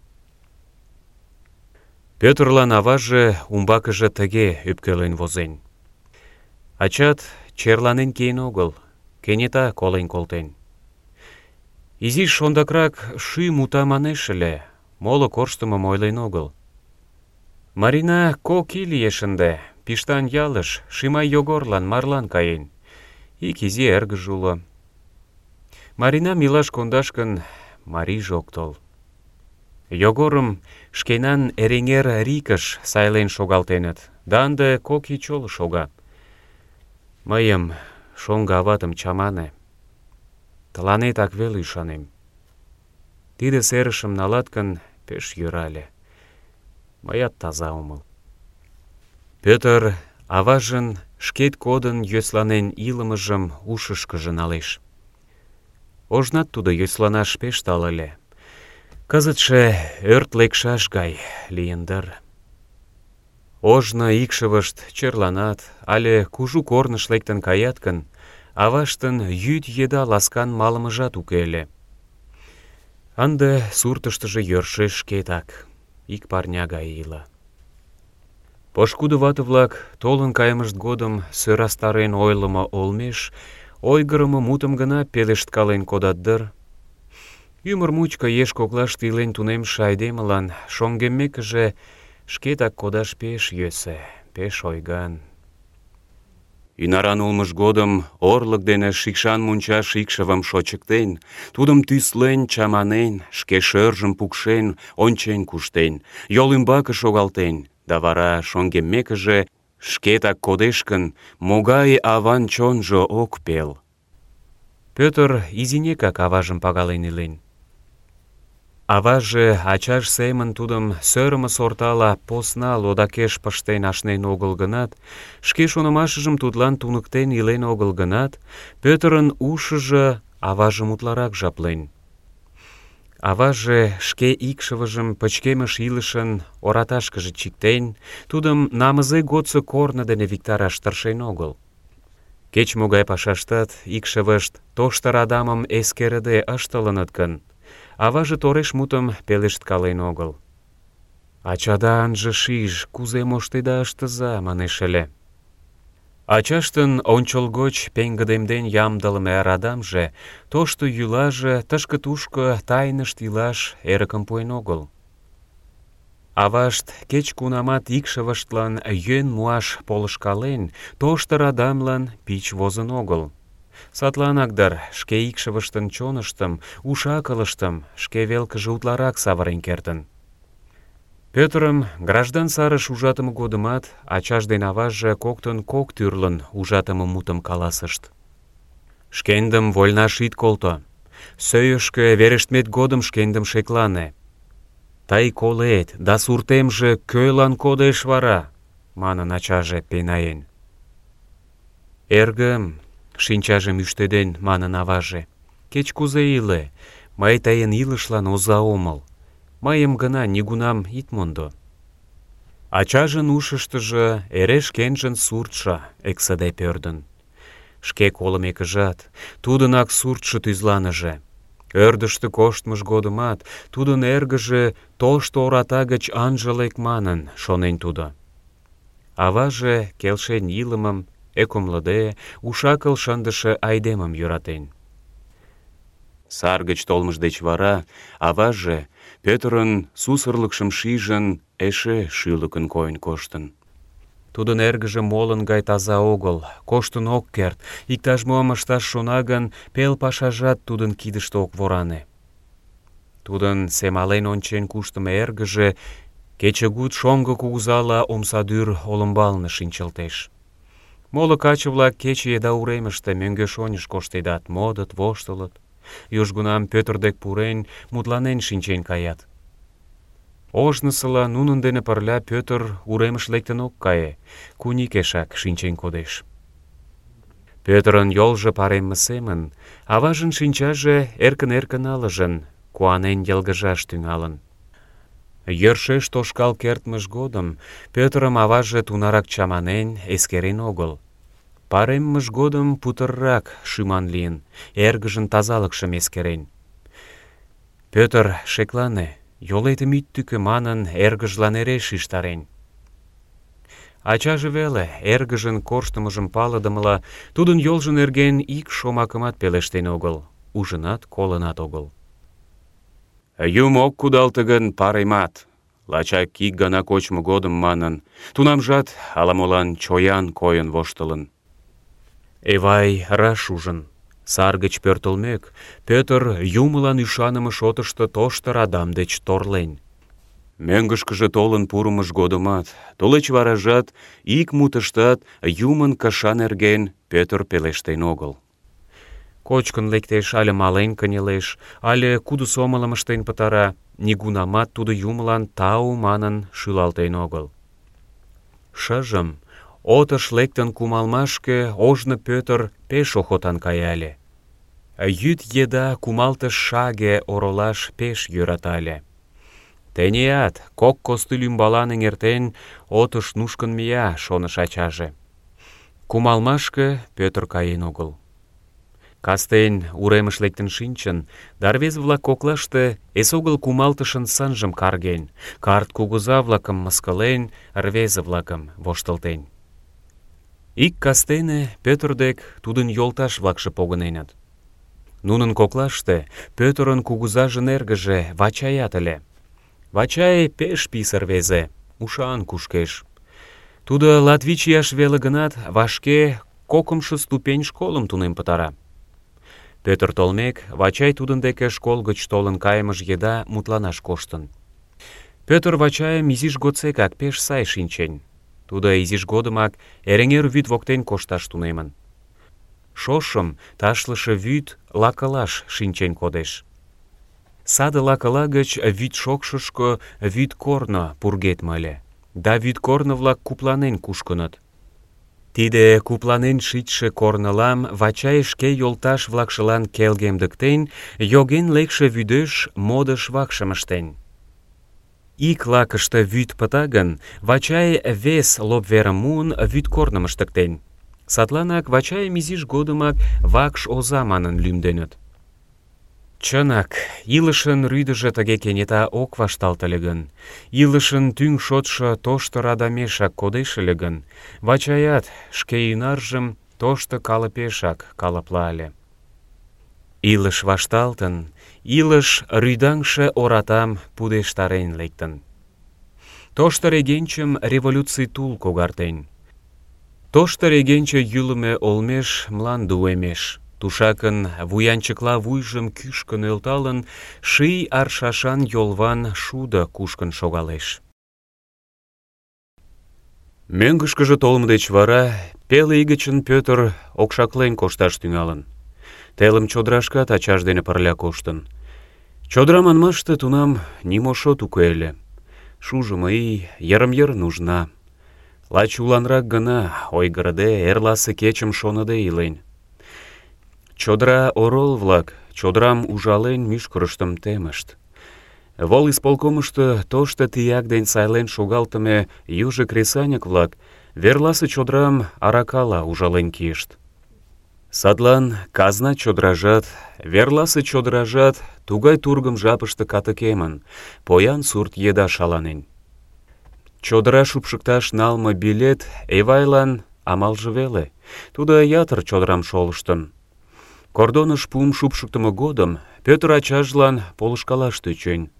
Пӧтырлан аваже умбакыже тыге ӧпкелен возен: «Ачат черланен киен огыл, кенета колен колтен. Изиш ондакрак шӱм ута манеш ыле, моло корштымым ойлен огыл. Марина 2 ий лиеш ынде, Пиштан ялыш Шимай Йогорлан марлан каен. Ик изи эргыже уло. Маринам илаш кондаш гын, марийже ок тол. Йогорым шкенан Эреҥер рикыш сайлен шогалтеныт, да ынде 2 ий чоло шога. Мыйым, шоҥго аватым, чамане. Тыланетак веле ӱшанем. Тиде серышым налат гын, пеш йӧра ыле. Мыят таза омыл». Пӧтыр аважын шкет кодын йӧсланен илымыжым ушышкыжо налеш. Ожнат тудо йӧсланаш пеш тале ыле. Кызытше ӧрт лекшаш гай лийын дыр. Ожно икшывышт черланат але кужу корныш лектын каят гын, аваштын йӱд еда ласкан малымыжат уке ыле. Ынде суртыштыжо йӧршеш шкетак, ик парня гай ила. Пошкудо вате-влак толын кайымышт годым сӧрастарен ойлымо олмеш ойгырымо мутым гына пелешткален кодат дыр. Ӱмыр мучко еш коклаште илен тунемше айдемылан шоҥгеммекыже шкетак кодаш пеш йӧсӧ, пеш ойган. Ӱнаран улмыж годым орлык дене шикшан мунчаш икшывым шочыктен, тудым тӱслен, чаманен, шке шӧржым пукшен, ончен куштен, йол ӱмбаке шогалтен, да вара шоҥгеммекыже шкетак кодеш гын, могай аван чонжо ок пел. Пӧтыр изинекак аважым пагален илен. Аваже ачаж семын тудым сӧрымӧ сортала посна лодакеш пыштен ашнен огыл гынат, шке шонымашыжым тудлан туныктен илен огыл гынат, Пӧтырын ушыжо аважым утларак жаплен. Аваже шке икшывыжым пычкемыш илышын ораташкыже чиктен, тудым намызе годсо корно дене виктараш тыршен огыл. Кеч-могай пашаштат икшывышт тошто радамым эскерыде ыштылыныт гын, аваже тореш мутым пелешткален огыл. «Ачада ынже шиж, кузе моштеда ыштыза», манеш ыле. Ачаштын ончылгоч пеҥгыдемден ямдылыме радамже, тошто йӱлаже тышке-тушко тайнышт илаш эрыкым пуэн огыл. Авашт кеч-кунамат икшывыштлан йӧн муаш полышкален, тошто радамлан пич возын огыл. Садланак дыр шке икшывыштын чоныштым, уш-акылыштым шке велкыже утларак савырен кертын. Пӧтырым граждан сарыш ужатыме годымат ачаж ден аваже коктын кок тӱрлын ужатыме мутым каласышт. «Шкендым вольнаш ит колто. Сӧйышкӧ верештмет годым шкендым шеклане. Тый колет, да суртемже кӧлан кодеш вара?» — манын ачаже пенаен. «Эргым», — шинчажым ӱштеден манын аваже, «кеч-кузе иле, мый тыйын илышлан оза омыл. Мыйым гына нигунам ит мондо». Ачажын ушыштыжо эре шкенжын суртшо эксыде пӧрдын. Шке колымекыжат, тудынак суртшо тӱзланыже. Ӧрдыжтӧ коштмыж годымат тудын эргыже тошто ората гыч ынже лек манын, шонен тудо. Аваже келшен илымым, ӧкымлыде, уш-акыл шындыше айдемым йӧратен. Сар гыч толмыж деч вара аваже, Пӧтырын сусырлыкшым шижын, эше шӱлыкын койын коштын. Тудын эргыже молын гай таза огыл, коштын ок керт, иктаж-мом ышташ шона гын, пел пашажат тудын кидыште ок воране. Тудын семален ончен куштымо эргыже кечыгут шоҥго кугызала омсадӱр олымбалне шинчылтеш. Моло каче-влак кече еда уремыште мӧҥгеш-оньыш коштедат, модыт, воштылыт. Южгунам Пӧтыр дек пурен, мутланен шинчен каят. Ожнысыла нунын дене пырля Пӧтыр уремыш лектын ок кае, куникешак шинчен кодеш. Пӧтырын йолжо паремме семын, аважын шинчаже эркын-эркын ылыжын, куанен йылгыжаш тӱҥалын. Йӧршеш тошкал кертмыж годым Пӧтырым аваже тунарак чаманен, эскерен огыл. Пареммыж годым путыррак шӱман лийын, эргыжын тазалыкшым эскерен. «Пӧтыр, шеклане, йолетым ит тӱкӧ» манын, эргыжлан эре шижтарен. Ачаже веле, эргыжын корштымыжым палыдымыла, тудын йолжо нерген ик шомакымат пелештен огыл, ужынат, колынат огыл. «Юм ок кудалте гын, паремат», лачак ик гана кочмо годым манын, тунамжат ала-молан чоян койын воштылын. Эвай раш ужын. Сар гыч пӧртылмек, Пӧтыр юмылан ӱшаныме шотышто тошто радам деч торлен. Мӧҥгышкыжӧ толын пурымыж годымат, тулеч варажат ик мутыштат юмын кыша нерген Пӧтыр пелештен огыл. Кочкын лектеш, але мален кынелеш, але кудо сомылым ыштен пытара, нигунамат тудо юмылан тау манын шӱлалтен огыл. Шыжым, отыш лектын кумалмашке, ожно Пӧтыр пеш охотан каяле. Йӱд еда кумалтыш шаге оролаш пеш йӧратале. Теният, кок костыль ӱмбалан эҥертен, отыш нушкын мия, шоныш ачаже. Кумалмашке Пӧтыр каен огыл. Кастен уремыш лектын шинчын, да рвезе-влак коклаште эсогыл кумалтышын сынжым карген, карт кугыза-влакым мыскылен, рвезе-влакым воштылтен. Ик кастене Пӧтыр дек тудын йолташ-влакше погыненыт. Нунын коклаште Пӧтырын кугызажын эргыже Вачаят ыле. Вачай пеш писе рвезе, ушан кушкеш. Тудо латвич ияш веле гынат, вашке кокымшо ступень школым тунем пытара. Пӧтыр толмек, Вачай тудын деке школ гыч толын кайымыж еда мутланаш коштын. Пӧтыр Вачайым изиж годсекак пеш сай шинчен. Тудо изиж годымак Эреҥер вӱд воктен кошташ тунемын. Шошым ташлыше вӱд лакылаш шинчен кодеш. Саде лакыла гыч вӱд шокшышко вӱд корно пургедме ыле, да вӱд корно-влак купланен кушкыныт. Тиде купланен шичше корнылам Вачай шке йолташ-влакшылан келгемдыктен, йоген лекше вӱдеш модыш вакшым ыштен. Ик лакыште вӱд пыта гын, Вачай вес лоп верым муын, вӱд корным ыштыктен. Садланак Вачайым изиж годымак вакш оза манын лӱмденыт. Чынак, илышын рӱдыжӧ тыге кенета ок вашталт ыле гын, илышын тӱҥ шотшо тошто радамешак кодеш ыле гын, Вачаят шке ӱнаржым тошто калыпешак калыпла ыле. Илыш вашталтын, илыш рӱдаҥше оратам пудештарен лектын. Тошто регенчым революций тул когартен. Тошто регенче йӱлымӧ олмеш мланде уэмеш. Тушакын вуянчыкла вуйжым кӱшкӧ нӧлталын, ший аршашан йолван шудо кушкын шогалеш. Мӧҥгышкыжӧ толмо деч вара пел ий гычын Пӧтыр окшаклен кошташ тӱҥалын. Телым чодырашкат ачаж дене пырля коштын. Чодыра манмаште тунам нимо шот уке ыле. Шужымо ий йырым-йыр нужна. Лач уланрак гына, ойгырыде, эрласе кечым шоныде илен. Чодыра орол-влак чодырам ужален мӱшкырыштым темышт. Волисполкомышто тошто тияк ден сайлен шогалтыме южо кресаньык-влак верласе чодырам аракала ужален кийышт. Садлан казна чодыражат, верласе чодыражат тугай тургым жапыште катыкемын, поян сурт еда шаланен. Чодыра шупшыкташ налме билет Эвайлан амалже веле. Тудо ятыр чодырам шолыштын. Кордоныш пум шупшыктымо годым Пӧтыр ачажлан полышкалаш тӧчен.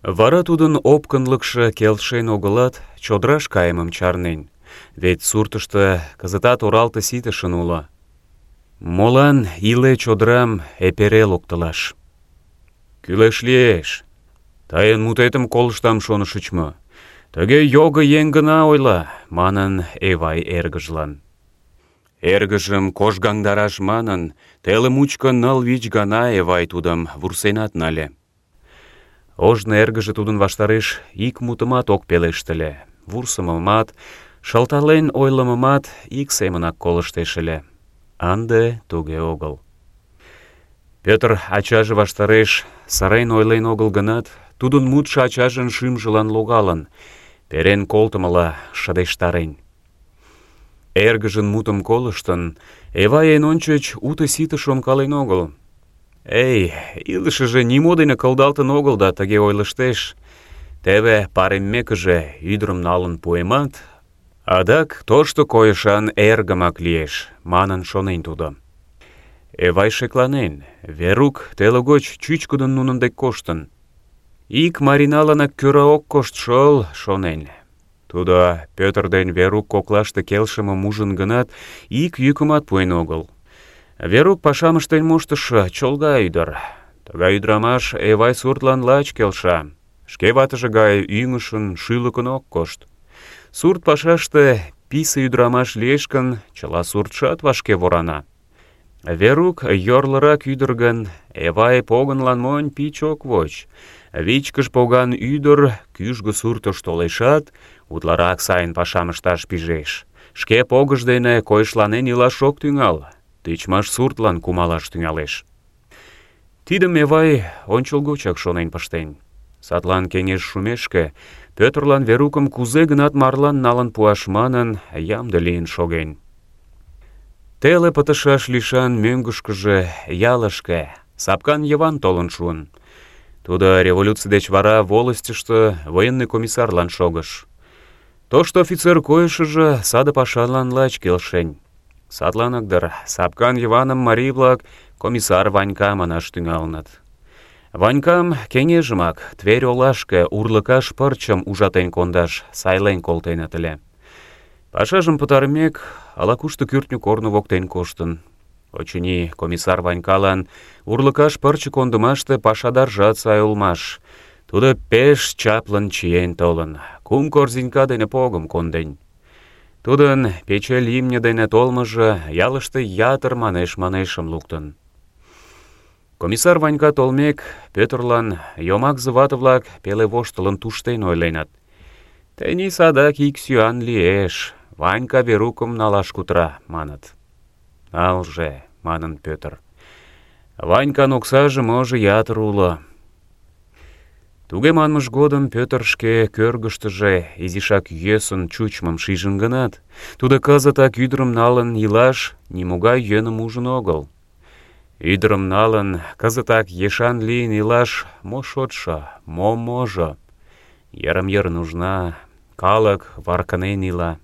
Вара тудын опкынлыкше келшен огылат, чодыраш кайымым чарнен, вет суртышто кызытат оралте ситышын уло. Молан иле чодырам эпере локтылаш? Кӱлеш лиеш. Тыйын мутетым колыштам шонышыч мо? Тыге його еҥ гына ойла, манын Эвай эргыжлан. Эргыжым кожгандараш манын, теле мучко 9-5 гана Эвай тудым вурсенат нале. Ожно эргыже тудын ваштареш ик мутымат ок пелештыле, вурсымымат, шылтален ойлымымат ик семынак колыштеш ыле. Ынде туге огыл. Пӧтыр ачаже ваштареш сырен ойлен огыл гынат, тудын мутшо ачажын шӱмжылан логалын, перен колтымыла шыдештарен. Эргыжын мутым колыштын, Эвай эн ончыч уто-сите шонкален огыл. Эй, илышыже нимо дене кылдалтын огыл да тыге ойлыштеш. Теве пареммекыже ӱдырым налын пуэмат, адак тошто койышан эргымак лиеш, манын шонен тудо. Эвай шекланен, Верук теле гоч чӱчкыдын нунын дек коштын. Ик Мариналанак кӧра ок кошт шол, шонен. Тудо Пӧтыр ден Верук коклаште келшымым ужын гынат, ик йӱкымат пуэн огыл. Верук пашам ыштен моштышо чолга ӱдыр. Тыгай ӱдырамаш Эвай суртлан лач келша. Шке ватыже гай ӱҥышын, шӱлыкын ок кошт. Сурт пашаште писе ӱдырамаш лиеш гын, чыла суртшат вашке ворана. Верук йорлырак ӱдыр гын, Эвай погынлан монь пич ок воч. Вичкыж поган ӱдыр кӱжгӧ суртыш толешат, утларак сайын пашам ышташ пижеш. Шке погыж дене койышланен илаш ок тӱҥал, тичмаш суртлан кумалаш тӱҥалеш. Тидым Эвай ончылгочак шонен пыштен. Садлан кеҥеж шумешке Пӧтырлан Верукым кузе-гынат марлан налын пуаш манын, ямде лийын шоген. Теле пытышаш лишан мӧҥгышкыжӧ, ялышке, Сапкан Йыван толын шуын. Тудо революций деч вара волостьышто военный комиссарлан шогыш. Тошто офицер койышыжо саде пашалан лач келшен. Садланак дыр Сапкан Йываным марий-влак комиссар Ванька манаш тӱҥалыныт. Ванькам кеҥежымак Тверь олашке урлыкаш пырчым ужатен кондаш сайлен колтеныт ыле. Пашажым пытарымек, ала-кушто кӱртньӧ корно воктен коштын. Очыни, комиссар Ванькалан урлыкаш пырче кондымаште пашадаржат сай улмаш. Тудо пеш чаплын чиен толын, 3 корзинка дене погым конден. Тудын печель имне дене толмыжо ялыште ятыр манеш-манешым луктын. Комиссар Ванька толмек, Пӧтырлан йомакзе вате-влак пеле воштылын туштен ойленыт. «Тений садак ик сӱан лиеш, Ванька Верукым налаш кутыра», маныт. «Налже», манын Пӧтыр. «Ванькан оксаже можо ятыр уло». Туге манмыж годым Пӧтыр шке кӧргыштыжӧ изишак йӧсын чучмым шижын гынат, тудо кызытак ӱдырым налын илаш нимогай йӧным ужын огыл. Ӱдырым налын, кызытак ешан лийын илаш мо шотшо, мо можо. Йырым-йыр нужна, калык варкынен ила.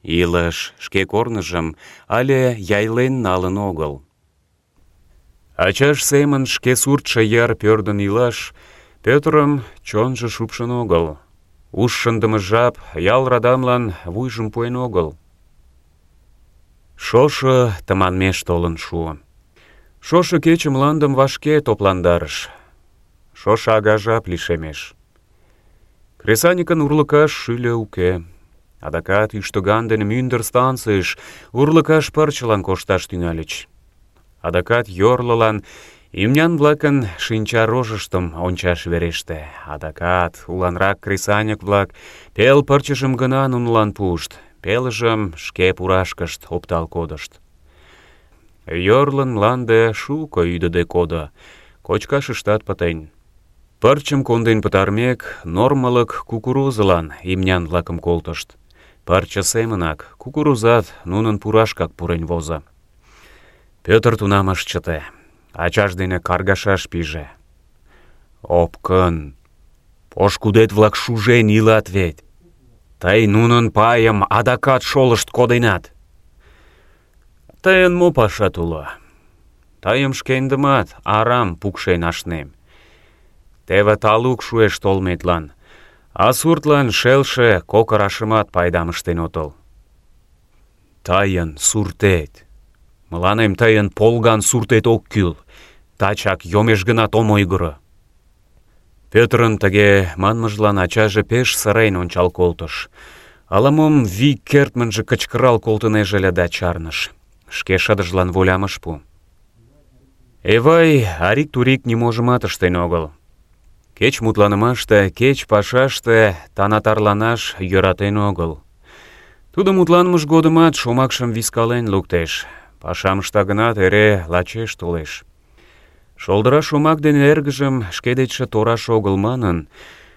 Илыш шке корныжым але яйлен налын огыл. Ачаж семын шке суртшо йыр пӧрдын илаш Пӧтырым чонжо шупшын огыл. Уш шындыме жап ял радамлан вуйжым пуэн огыл. Шошо тыманмеш толын шуо. Шошо кече мландым вашке топландарыш. Шошо ага жап лишемеш. Кресаньыкын урлыкаш шӱльӧ уке. Адакат ӱштыган дене мӱндыр станцийыш урлыкаш пырчылан кошташ тӱҥальыч. Адакат йорлылан имнян-влакын шинча рожыштым ончаш вереште. Адакат уланрак кресаньык-влак пел пырчыжым гына нунылан пуышт, пелыжым шке пурашкышт оптал кодышт. Йорлын мланде шуко ӱдыде кодо, кочкашыштат пытен. Пырчым конден пытармек, нормалык кукурузылан имнян-влакым колтышт. Пырче семынак кукурузат нунын пурашкак пурен возо. Пӧтыр тунам ыш чыте, ачаж дене каргашаш пиже. «Опкын, пошкудет-влак шужен илат вет. Тый нунын пайым адакат шолышт коденат. Тыйын мо пашат уло? Тыйым шкендымат арам пукшен ашнем. Теве талук шуэш толметлан, а суртлан шелше кокырашымат пайдам ыштен отыл. Тыйын суртет. Мыланем тыйын полган суртет ок кӱл. Тачак йомеш гынат ом ойгыро». Пӧтырын тыге манмыжлан ачаже пеш сырен ончал колтыш. Ала-мом вик кертмынже кычкырал колтынеже ыле да чарныш. Шке шыдыжлан волям ыш пу. Эвай арик-турик ниможымат ыштен огыл. Кеч мутланымаште, кеч пашаште танатарланаш йӧратен огыл. Тудо мутланымыж годымат шомакшым вискален луктеш. Пашам ышта гынат, эре лачеш толеш. Шолдыра шомак дене эргыжым шке дечше тораш огыл манын,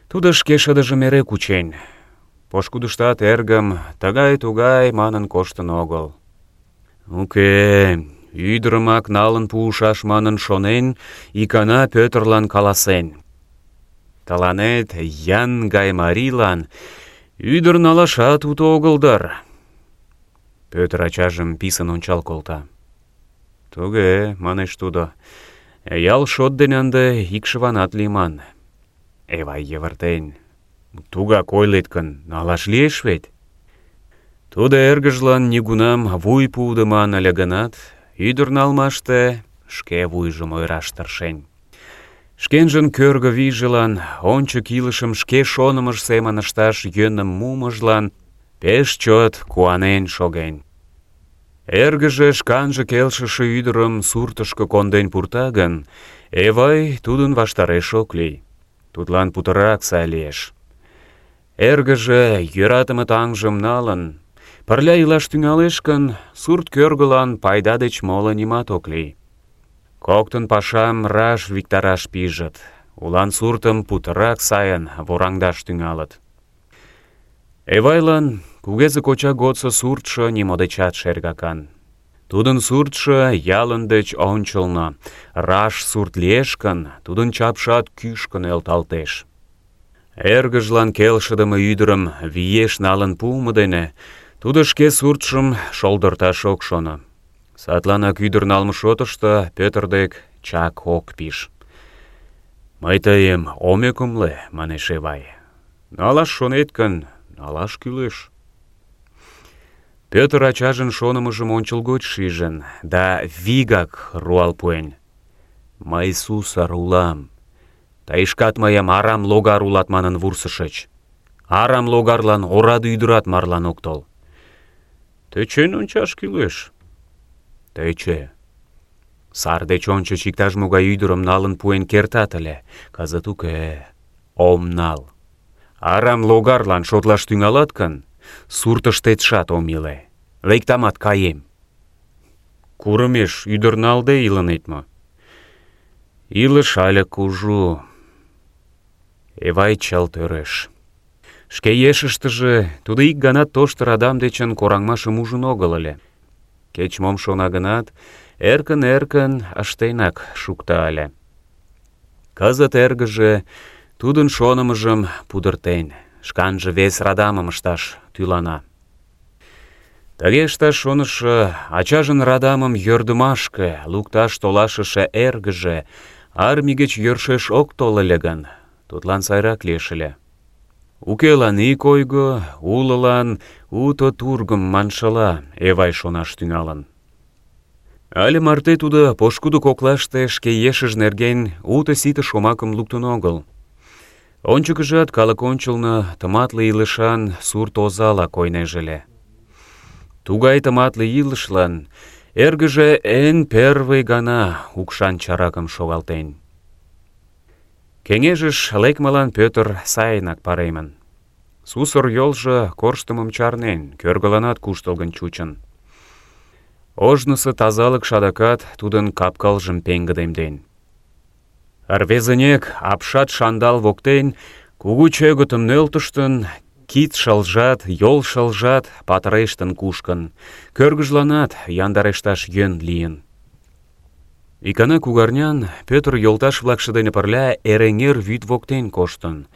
тудо шке шыдыжым эре кучен. Пошкудыштат эргым тыгай-тугай манын коштын огыл. Уке, ӱдырымак налын пуышаш манын шонен, икана Пӧтырлан каласен: «Тыланет, ян гай марийлан, ӱдыр налашат уто огыл дыр». Пӧтыр ачажым писын ончал колта. «Туге, — манеш тудо, — ял шот дене ынде икшыванат лийман». Эвай йывыртен: «Тугак ойлет гын, налаш лиеш вет?» Тудо эргыжлан нигунам вуй пуыдыман ыле гынат, ӱдыр налмаште шке вуйжым ойыраш тыршен. Шкенжын кӧргӧ вийжылан, ончык илышым шке шонымыж семын ышташ йӧным мумыжлан пеш чот куанен шоген. Эргыже шканже келшыше ӱдырым суртышко конден пурта гын, Эвай тудын ваштареш ок лий. Тудлан путырак сай лиеш. Эргыже йӧратыме таҥжым налын, пырля илаш тӱҥалеш гын, сурт кӧргылан пайда деч моло нимат ок лий. Коктын пашам раш виктараш пижыт, улан суртым путырак сайын вораҥдаш тӱҥалыт. Эвайлан кугезе коча годсо суртшо нимо дечат шергакан. Тудын суртшо ялын деч ончылно, раш сурт лиеш гын, тудын чапшат кӱшкӧ нӧлталтеш. Эргыжлан келшыдыме ӱдырым виеш налын пуымо дене тудо шке суртшым шолдырташ ок шоно. Садланак ӱдыр налме шотышто Пӧтыр дек чак ок пиж. «Мый тыйым ом ӧкымлӧ, — манеш Эвай. — Налаш шонет гын, налаш кӱлеш». Пӧтыр ачажын шонымыжым ончылгоч шижын да вигак руал пуэн: «Мый сусыр улам. Тый шкат мыйым арам логар улат манын вурсышыч. Арам логарлан ораде ӱдырат марлан ок тол. Тӧчен ончаш кӱлеш». «Тӧчӧ. Сар деч ончыч иктаж-могай ӱдырым налын пуэн кертат ыле. Кызыт уке, ом нал. Арам логарлан шотлаш тӱҥалат гын, суртыштетшат ом иле. Лектамат каем». «Курымеш ӱдыр налде илынет мо?» «Илыш але кужу». Эвай чылт ӧреш. Шке ешыштыже тудо ик гана тошто радам дечын кораҥмашым ужын огыл ыле. Кеч-мом шона гынат, эркын-эркын ыштенак шукта ыле. Кызыт эргыже тудын шонымыжым пудыртен, шканже вес радамым ышташ тӱлана. Тыге ышташ шонышо, ачажын радамым йӧрдымашке лукташ толашыше эргыже армий гыч йӧршеш ок тол ыле гын, тудлан сайрак лиеш ыле. Укелан ик ойго, улылан уто тургым маншыла Эвай шонаш тӱҥалын. Але марте тудо пошкудо коклаште шке ешыж нерген уто-сите шомакым луктын огыл. Ончыкыжат калык ончылно тыматле илышан сурт озала койнеже ыле. Тугай тыматле илышлан эргыже эн первый гана укшан чаракым шогалтен. Кеҥежыш лекмылан Пӧтыр сайынак паремын. Сусыр йолжо корштымым чарнен, кӧргыланат куштылгын чучын. Ожнысо тазалык адакат тудын кап-кылжым пеҥгыдемден. Рвезынек апшат шандал воктен кугу чӧгытым нӧлтыштын, кид шылжат, йол шылжат патырештын кушкын, кӧргыжланат яндарешташ йӧн лийын. Икана кугарнян Пӧтыр йолташ-влакше дене пырля Эреҥер вӱд воктен коштын.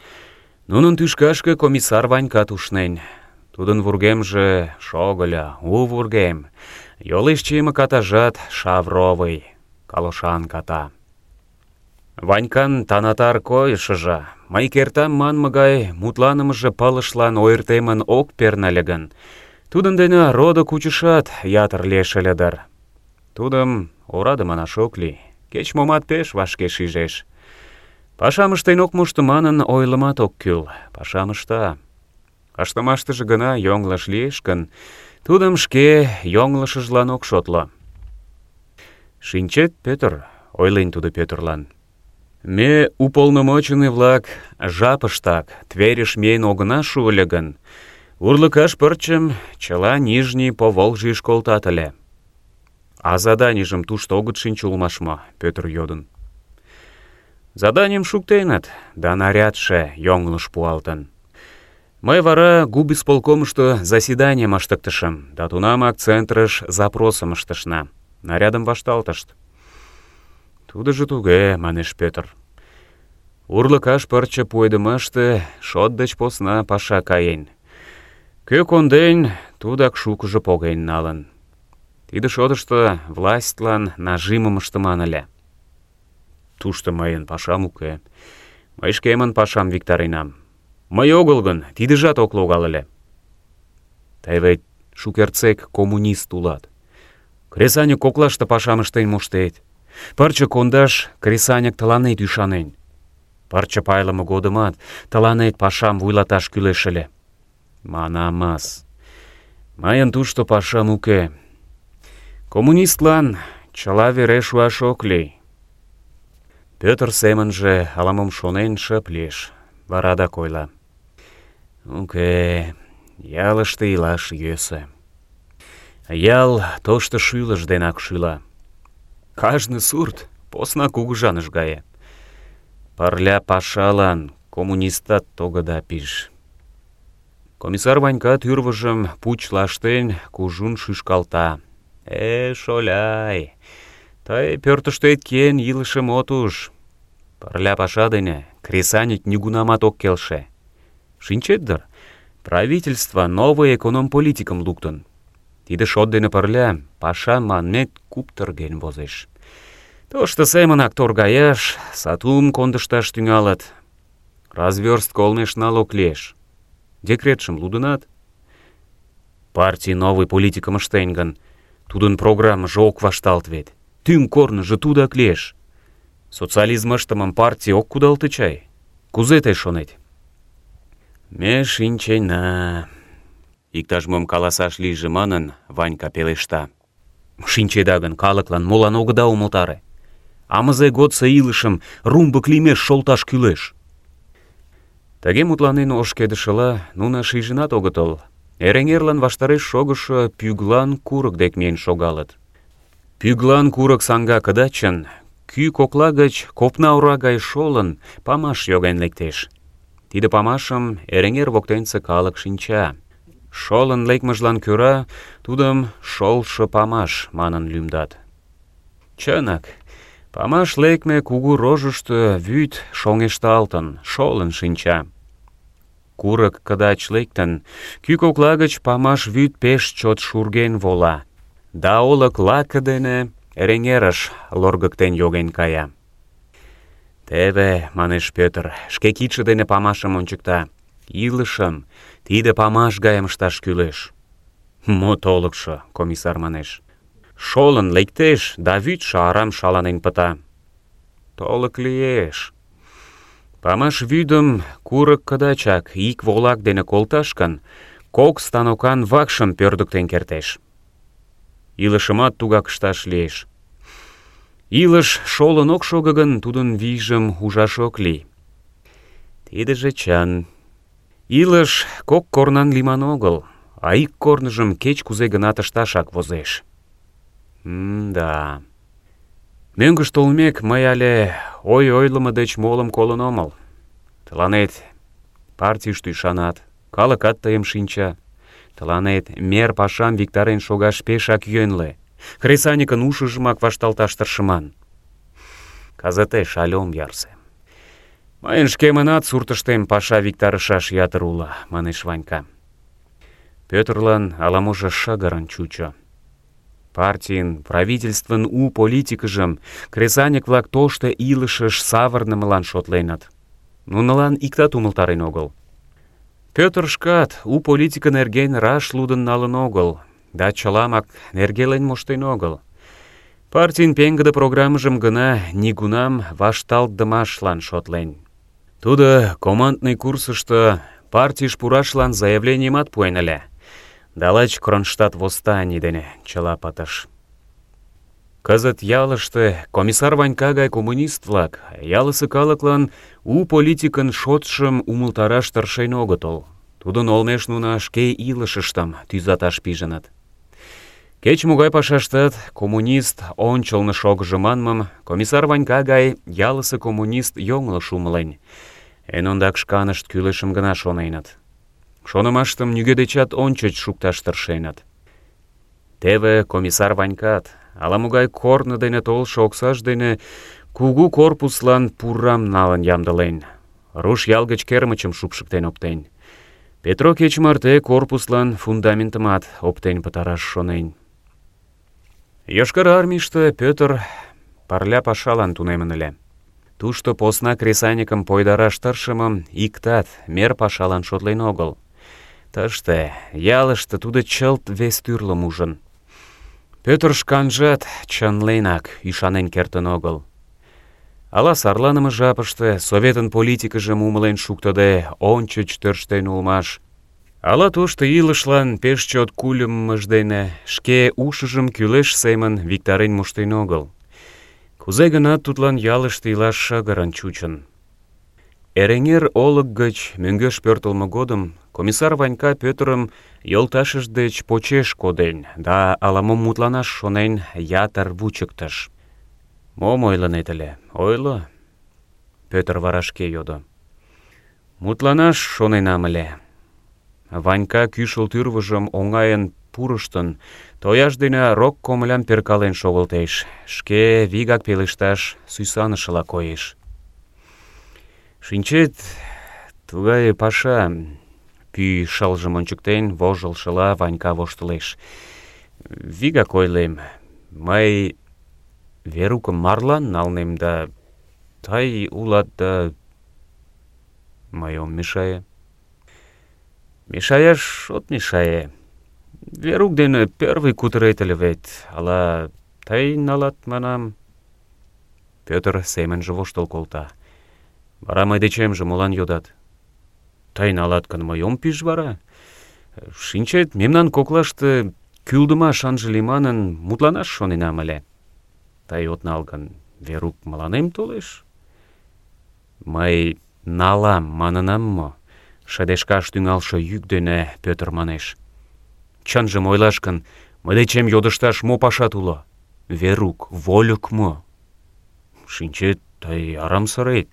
Нунын тӱшкашке комиссар Ванькат ушнен. Тудын вургемже шогыльо, у вургем. Йолеш чийыме катажат шавровый, калошан ката. Ванькан танатар койышыжо, мый кертам манме гай мутланымыже пылышлан ойыртемын ок пернале гын, тудын дене родо кучышат ятыр лиеш ыле дыр. Тудым ораде манаш ок лий, кеч-момат пеш вашке шижеш. Пашам ыштен ок мошто манын ойлымат ок кӱл, пашам ышта. Ыштымаштыже гына йоҥылыш лиеш гын, тудым шке йоҥылышыжлан ок шотло. «Шинчет, Пӧтыр, — ойлен тудо Пӧтырлан, — ме, уполномоченный-влак, жапыштак Тверьыш миен огына шу ыле гын, урлыкаш пырчым чыла Нижний Поволжьыш колтат ыле». «А заданийжым тушто огыт шинче улмаш мо?» — Пӧтыр йодын. «Заданийым шуктеныт, да нарядше йоҥылыш пуалтын. Мый вара губисполкомышто заседанийым ыштыктышым, да тунамак центрыш запросым ыштышна. Нарядым вашталтышт». «Тудыжо туге, — манеш Пӧтыр. — урлыкаш пырче пуэдымаште шот деч посна паша каен. Кӧ конден, тудак шукыжо поген налын. Тиде шотышто властьлан нажимым ыштыман ыле. Тушто мыйын пашам уке. Мый шкемын пашам виктаренам. Мый огыл гын, тидыжат ок логал ыле. Тый вет шукертсек коммунист улат. Кресаньык коклаште пашам ыштен моштет. Пырче кондаш кресаньык тыланет ӱшанен. Пырче пайлыме годымат тыланет пашам вуйлаташ кӱлеш ыле. Манамас, мыйын тушто пашам уке. Коммунистлан чыла вере шуаш ок лий». Пӧтыр семынже ала-мом шонен шып лиеш, вара адак ойла. «Уке, ялыште илаш йӧсӧ. Ял тошто шӱлыш денак шӱла. Кажне сурт посна кугыжаныш гае. Пырля пашалан коммунистат тогыда пиж». Комиссар Ванька тӱрвыжым пуч лаштен кужун шӱшкалта. Шоляй, тый пӧртыштет киен илышым от уж. Пырля паша дене кресаньык нигунамат ок келше. Шинчет дыр, правительство новый эконом-политикым луктын. Тиде шот дене пырля паша манмет куптырген возеш. Тошто семынак торгаяш, сатум кондышташ тӱҥалыт. Развёрстко олмеш налог лиеш. Декретшым лудынат? Партий новый политикым ыштен гын, тудын программыже ок вашталт вет. Тӱҥ корныжо тудак лиеш. Социализм ыштымым партий ок кудалте чай? Кузе тый шонет? Ме шинчена. Иктаж-мом каласаш лийже манын, Ванька пелешта. Шинчеда гын, калыклан молан огыда умылтаре? Амызе годсо илышым румбык лиймеш шолташ кӱлеш. Тыге мутланен ошкедышыла, нуно шижынат огытыл. Эреҥерлан ваштареш шогышо Пӱглан курык дек миен шогалыт. Пӱглан курык саҥга кыдачын, кӱ кокла гыч копна ора гай шолын, памаш йоген лектеш. Тиде памашым Эреҥер воктенсе калык шинча. Шолын лекмыжлан кӧра тудым шолшо памаш манын лӱмдат. Чынак, памаш лекме кугу рожышто вӱд шоҥешталтын, шолын шинча. Курык кыдач лектын, кӱ кокла гыч памаш вӱд пеш чот шурген вола, да олык лаке дене Эреҥерыш лоргыктен йоген кая. «Теве, — манеш Пӧтыр, шке кидше дене памашым ончыкта, — илышым тиде памаш гайым ышташ кӱлеш». «Мо толыкшо, — комиссар манеш, — шолын лектеш, да вӱдшӧ арам шаланен пыта». «Толык лиеш. Памаш вӱдым курык кыдачак ик волак дене колташ гын, кок станокан вакшым пӧрдыктен кертеш. Илышымат тугак ышташ лиеш. Илыш шолын ок шого гын, тудын вийжым ужаш ок лий. Тидыже чын. Илыш кок корнан лийман огыл, а ик корныжым кеч-кузе гынат ышташак возеш. Да. Мӧҥгыш толмек, мый але ой ойлымо деч молым колын омыл. Тыланет партийыште ӱшанат, калыкат тыйым шинча. Тыланет мер пашам виктарен шогаш пешак йӧнлӧ. Кресаньыкын ушыжымак вашталташ тыршыман. Кызытеш але ом ярсе. Мыйын шкемынат суртыштем паша виктарышаш ятыр уло, манеш Ванька. Пӧтырлан ала-можо шыгырын чучо. Партийын, правительствын у политикыжым кресаньык-влак тошто илышыш савырнымылан шотленыт. Нунылан иктат умылтарен огыл. Пӧтыр шкат у политика нерген раш лудын налын огыл, да чыламак нергелен моштен огыл. Партийын пеҥгыде программыжым гына нигунам вашталтдымашлан шотлен. Тудо командный курсышто партийыш пурашлан заявленийымат пуэн ыле, да лач Кронштадт восстаний дене чыла пытыш. Кызыт ялыште комиссар Ванька гай коммунист-влак ялысе калыклан у политикын шотшым умылтараш тыршен огытыл. Тудын олмеш нуно шке илышыштым тӱзаташ пижыныт. Кеч-могай пашаштат коммунист ончылно шогыжо манмым комиссар Ванька гай ялысе коммунист йоҥылыш умылен. Эн ондак шканышт кӱлешым гына шоненыт. Шонымаштым нигӧ дечат ончыч шукташ тыршеныт. Теве комиссар Ванькат ала-могай корно дене толшо оксаж дене кугу корпуслан пурам налын ямдылен. Руш ял гыч кермычым шупшыктен оптен. Петро кеч марте корпуслан фундаментымат оптен пытараш шонен. Йошкар Армийыште Пӧтыр парля пашалан тунемын ыле. Тушто посна кресаньыкым пойдараш тыршымым иктат мер пашалан шотлен огыл. Тыште, ялыште тудо чылт вес тӱрлым ужын. Пӧтыр шканжат чынленак ӱшанен кертын огыл. Ала сарланыме жапыште Советын политикыжым умылен шуктыде ончыч тӧрштен улмаш, ала тошто илышлан пеш чот кульымыж дене шке ушыжым кӱлеш семын виктарен моштен огыл. Кузе-гынат тудлан ялыште илаш шыгырын чучын. Эреҥер олык гыч мӧҥгеш пӧртылмӧ годым комиссар Ванька Пӧтырым йолташыж деч почеш коден да ала-мом мутланаш шонен ятыр вучыктыш. «Мом ойлынет ыле? Ойло?» Пӧтыр вара шке йодо. «Мутланаш шоненам ыле». Ванька кӱшыл тӱрвыжым оҥайын пурыштын, тояж дене рок комылям перкален шогылтеш, шке вигак пелешташ сӱсанышыла коеш. «Шинчет, тугай паша», — пӱй шылжым ончыктен, вожылшыла Ванька воштылеш. «Вигак ойлем, мый Верукым марлан налнем да тый улат да мый ом мешае». «Мешаяш от мешае. Верук дене первый кутырет ыле вет, ала тый налат, манам?» Пӧтыр семынже воштыл колта. «Вара мый дечемже молан йодат? Тый налат гын, мый ом пиж вара? Шинчет, мемнан коклаште кӱлдымаш ынже лий манын мутланаш шоненам ыле. Тый от нал гын, Верук мыланем толеш?» «Мый налам манынам мо?» — шыдешкаш тӱҥалше йӱк дене Пӧтыр манеш. «Чынжым ойлаш гын, мый дечем йодышташ мо пашат уло? Верук вольык мо?» «Шинчет, тый арам сырет.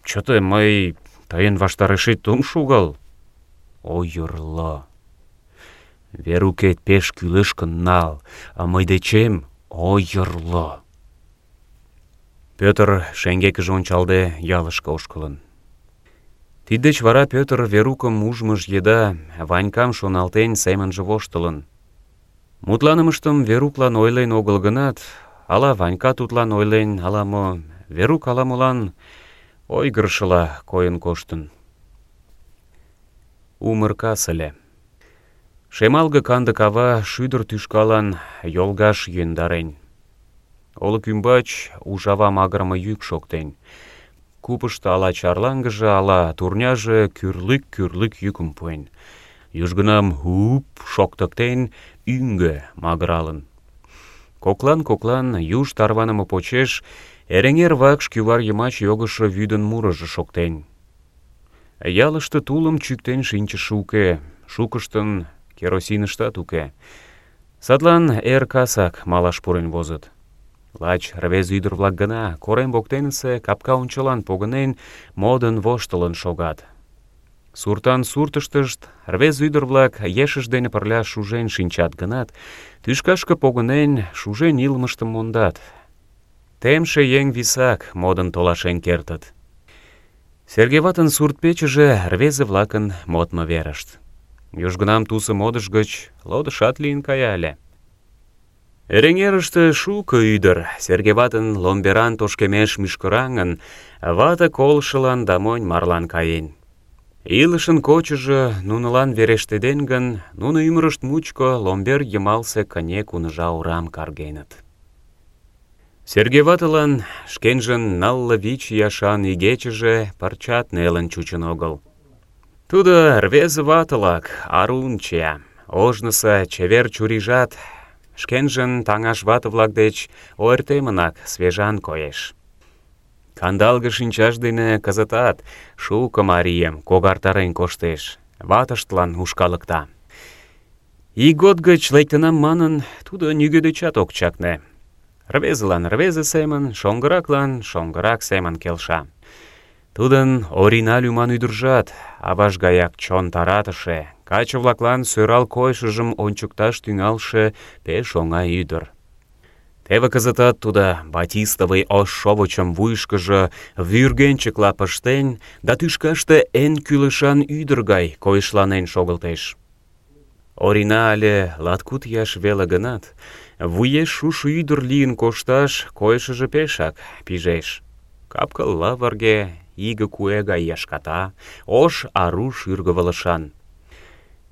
Чыте, мый тыйын ваштарешет ом шогал. Ойырло. Верукет пеш кӱлеш гын нал, а мый дечем ойырло». Пӧтыр шеҥгекыже ончалде ялышке ошкылын. Тиддеч вара Пӧтыр Верукым ужмыж еда Ванькам шоналтен семынже воштылын. Мутланымыштым Веруклан ойлен огыл гынат, ала Ванька тудлан ойлен, ала-мо, Верук ала-молан ойгырышыла койын коштын. Умыр кас ыле. Шемалге канде кава шӱдыр тӱшкалан йолгаш йӧндарен. Олык ӱмбач ужава магырыме йӱк шоктен. купышто ала чарлаҥгыже, ала турняже кӱрлӱк-кӱрлӱк йӱкым пуэн. Южгунам «хуп» шоктыктен, ӱҥгӧ магыралын. Коклан-коклан юж тарваныме почеш Эреҥер вакш кӱвар йымач йогышо вӱдын мурыжо шоктен. Ялыште тулым чӱктен шинчыше уке, шукыштын керосиныштат уке. Садлан эр касак малаш пурен возыт. Лач рвезе ӱдыр-влак гына корем воктенысе капка ончылан погынен, модын воштылын шогат. Суртан суртыштышт рвезе ӱдыр-влак ешышт дене пырля шужен шинчат гынат, тӱшкашке погынен, шужен илымыштым мондат. Темше еҥ висак модын толашен кертыт. Серге ватын сурт-печыже рвезе-влакын модмо верышт. Южгунам тусо модыш гыч лодышат лийын кая ыле. Эреҥерыште шуко ӱдыр Серге ватын ломберан тошкемеш мӱшкыраҥын, вате колышылан да монь марлан каен. Илышын кочыжо нунылан верештеден гын, нуно ӱмырышт мучко ломбер йымалсе кыне куныжа орам каргеныт. Серге ватылан шкенжын 45 ияшан игечыже пырчат нелын чучын огыл. Тудо рвезе ватылак арун чия, ожнысо чевер чурийжат шкенжын таҥаш вате-влак деч ойыртемынак свежан коеш. Кандалге шинчаж дене кызытат шуко марийым когартарен коштеш, ватыштлан ушкалыкта. Ийгот гыч лектынам манын, тудо нигӧ дечат ок чакне. Рвезылан рвезе семын, шоҥгыраклан шоҥгырак семын келша. Тудын Орина лӱман ӱдыржат аваж гаяк чон таратыше, каче-влаклан сӧрал койышыжым ончыкташ тӱҥалше пеш оҥай ӱдыр. Теве кызытат тудо батистовый ош шовычым вуйышкыжо вӱргенчыкла пыштен да тӱшкаште эн кӱлешан ӱдыр гай койышланен шогылтеш. Орина але 29 ияш веле гынат, вуеш шушо ӱдыр лийын кошташ койышыжо пешак пижеш. Кап-кыл лывырге, иге куэ гай яшката, ош ару шӱргывылышан.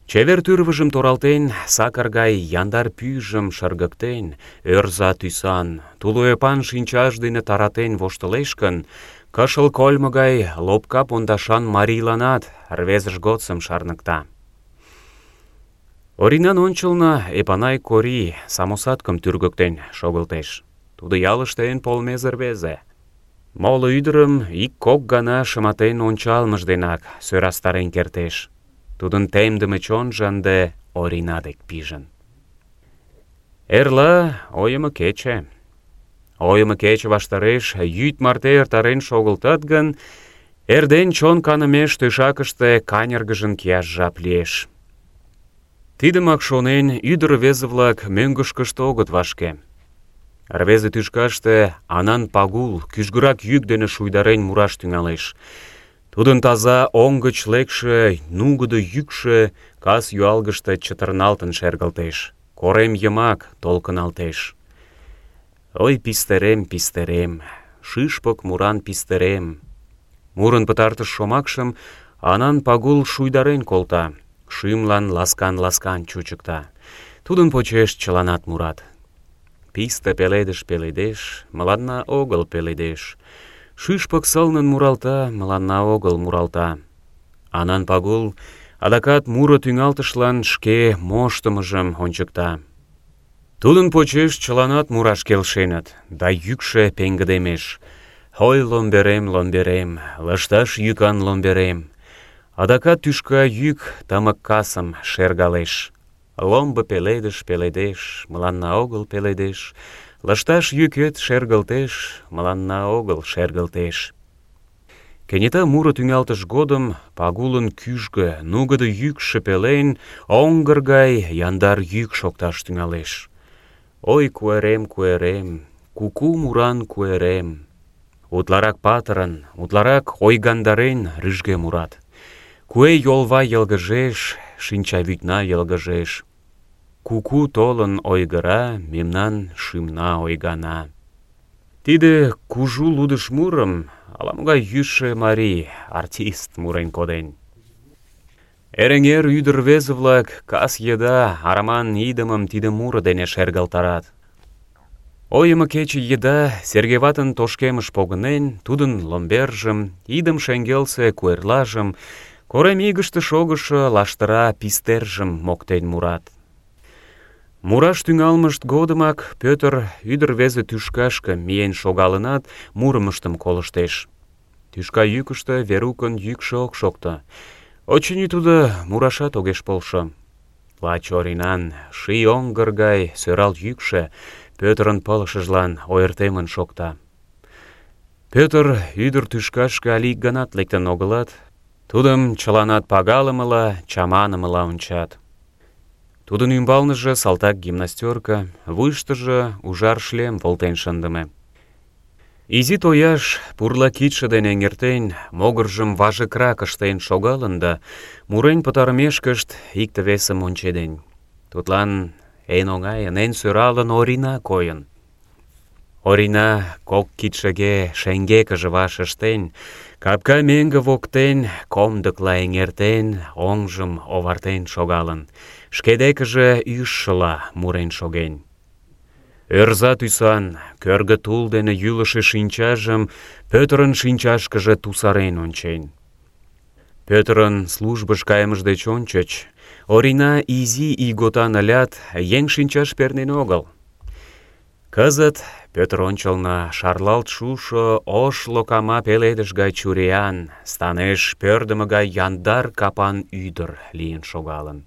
Чевер тӱрвыжым торалтен, сакыр гай яндар пӱйжым шыргыктен, ӧрза тӱсан, тулойыпан шинчаж дене таратен воштылеш гын, кышыл кольмо гай лопка пондашан марийланат рвезыж годсым шарныкта. Оринан ончылно Эпанай Кори самосадкым тӱргыктен шогылтеш. Тудо ялыште эн полмезе рвезе. Моло ӱдырым ик-кок гана шыматен ончалмыж денак сӧрастарен кертеш. Тудын темдыме чонжо ынде Орина дек пижын. Эрла ойымо кече. Ойымо кече ваштареш йӱд марте эртарен шогылтат гын, эрден чон канымеш тӧшакыште каньыргыжын кияш жап лиеш. Тидымак шонен, ӱдыр-рвезе-влак мӧҥгышкышт огыт вашке. Рвезе тӱшкаште Анан Пагул кӱжгырак йӱк дене шуйдарен мураш тӱҥалеш. Тудын таза оҥ гыч лекше нугыдо йӱкшӧ кас юалгыште чытырналтын шергылтеш, корем йымак толкыналтеш. Ой, пистерем, пистерем, шӱшпык муран пистерем. Мурын пытартыш шомакшым Анан Пагул шуйдарен колта, шӱмлан ласкан-ласкан чучыкта. Тудын почеш чыланат мурат. Писте пеледыш пеледеш, мыланна огыл пеледеш. Шӱшпык сылнын муралта, мыланна огыл муралта. Анан Пагул адакат муро тӱҥалтышлан шке моштымыжым ончыкта. Тудын почеш чыланат мураш келшеныт, да йӱкшӧ пеҥгыдемеш. Ой, ломберем, ломберем, лышташ йӱкан ломберем. Адакат тӱшка йӱк тымык касым шергалеш. Ломбо пеледыш пеледеш, мыланна огыл пеледеш. Лышташ йӱкет шергылтеш, мыланна огыл шергылтеш. Кенета муро тӱҥалтыш годым Пагулын кӱжгӧ, нугыдо йӱкшӧ пелен оҥгыр гай яндар йӱк шокташ тӱҥалеш. Ой, куэрем, куэрем, куку муран куэрем. Утларак патырын, утларак ойгандарен рӱжге мурат. Куэ йолва йылгыжеш, шинчавӱдна йылгыжеш. Куку толын ойгыра, мемнан шӱмна ойгана. Тиде кужу лудыш мурым ала-могай йӱшӧ марий, артист мурен коден. Эреҥер ӱдыр-рвезе-влак кас еда араман идымым тиде муро дене шергылтарат. Ойымо кече еда Серге ватын тошкемыш погынен, тудын ломбержым, идым шеҥгелсе куэрлажым, корем игыште шогышо лаштыра пистержым моктен мурат. Мураш тӱҥалмышт годымак Пӧтыр ӱдыр-рвезе тӱшкашке миен шогалынат, мурымыштым колыштеш. Тӱшка йӱкыштӧ Верукын йӱкшӧ ок шокто. Очыни, тудо мурашат огеш полшо. Лач Оринан ший оҥгыр гай сӧрал йӱкшӧ Пӧтырын пылышыжлан ойыртемын шокта. Пӧтыр ӱдыр тӱшкашке але ик ганат лектын огылат, тудым чыланат пагалымыла, чаманымыла ончат. Тудын ӱмбалныже салтак гимнастерка, вуйыштыжо ужар шлем волтен шындыме. Изи тояш пурла кидше дене эҥертен, могыржым важыкрак ыштен шогалын да, мурен пытарымешкышт икте-весым ончеден. Тудлан эн оҥайын, эн сӧралын Орина койын. Орина кок кидшыге шеҥгекыже ваш ыштен, капка меҥге воктен комдыкла эҥертен, оҥжым овартен шогалын, шке декыже ӱжшыла мурен шоген. Ӧрза тӱсан, кӧргӧ тул дене йӱлышӧ шинчажым Пӧтырын шинчашкыже тусарен ончен. Пӧтырын службыш кайымыж деч ончыч Орина изи ийготан ылят, еҥ шинчаш пернен огыл. Кызыт Пӧтыр ончылно шарлалт шушо ош локама пеледыш гай чуриян, станеш пӧрдымӧ гай яндар капан ӱдыр лийын шогалын.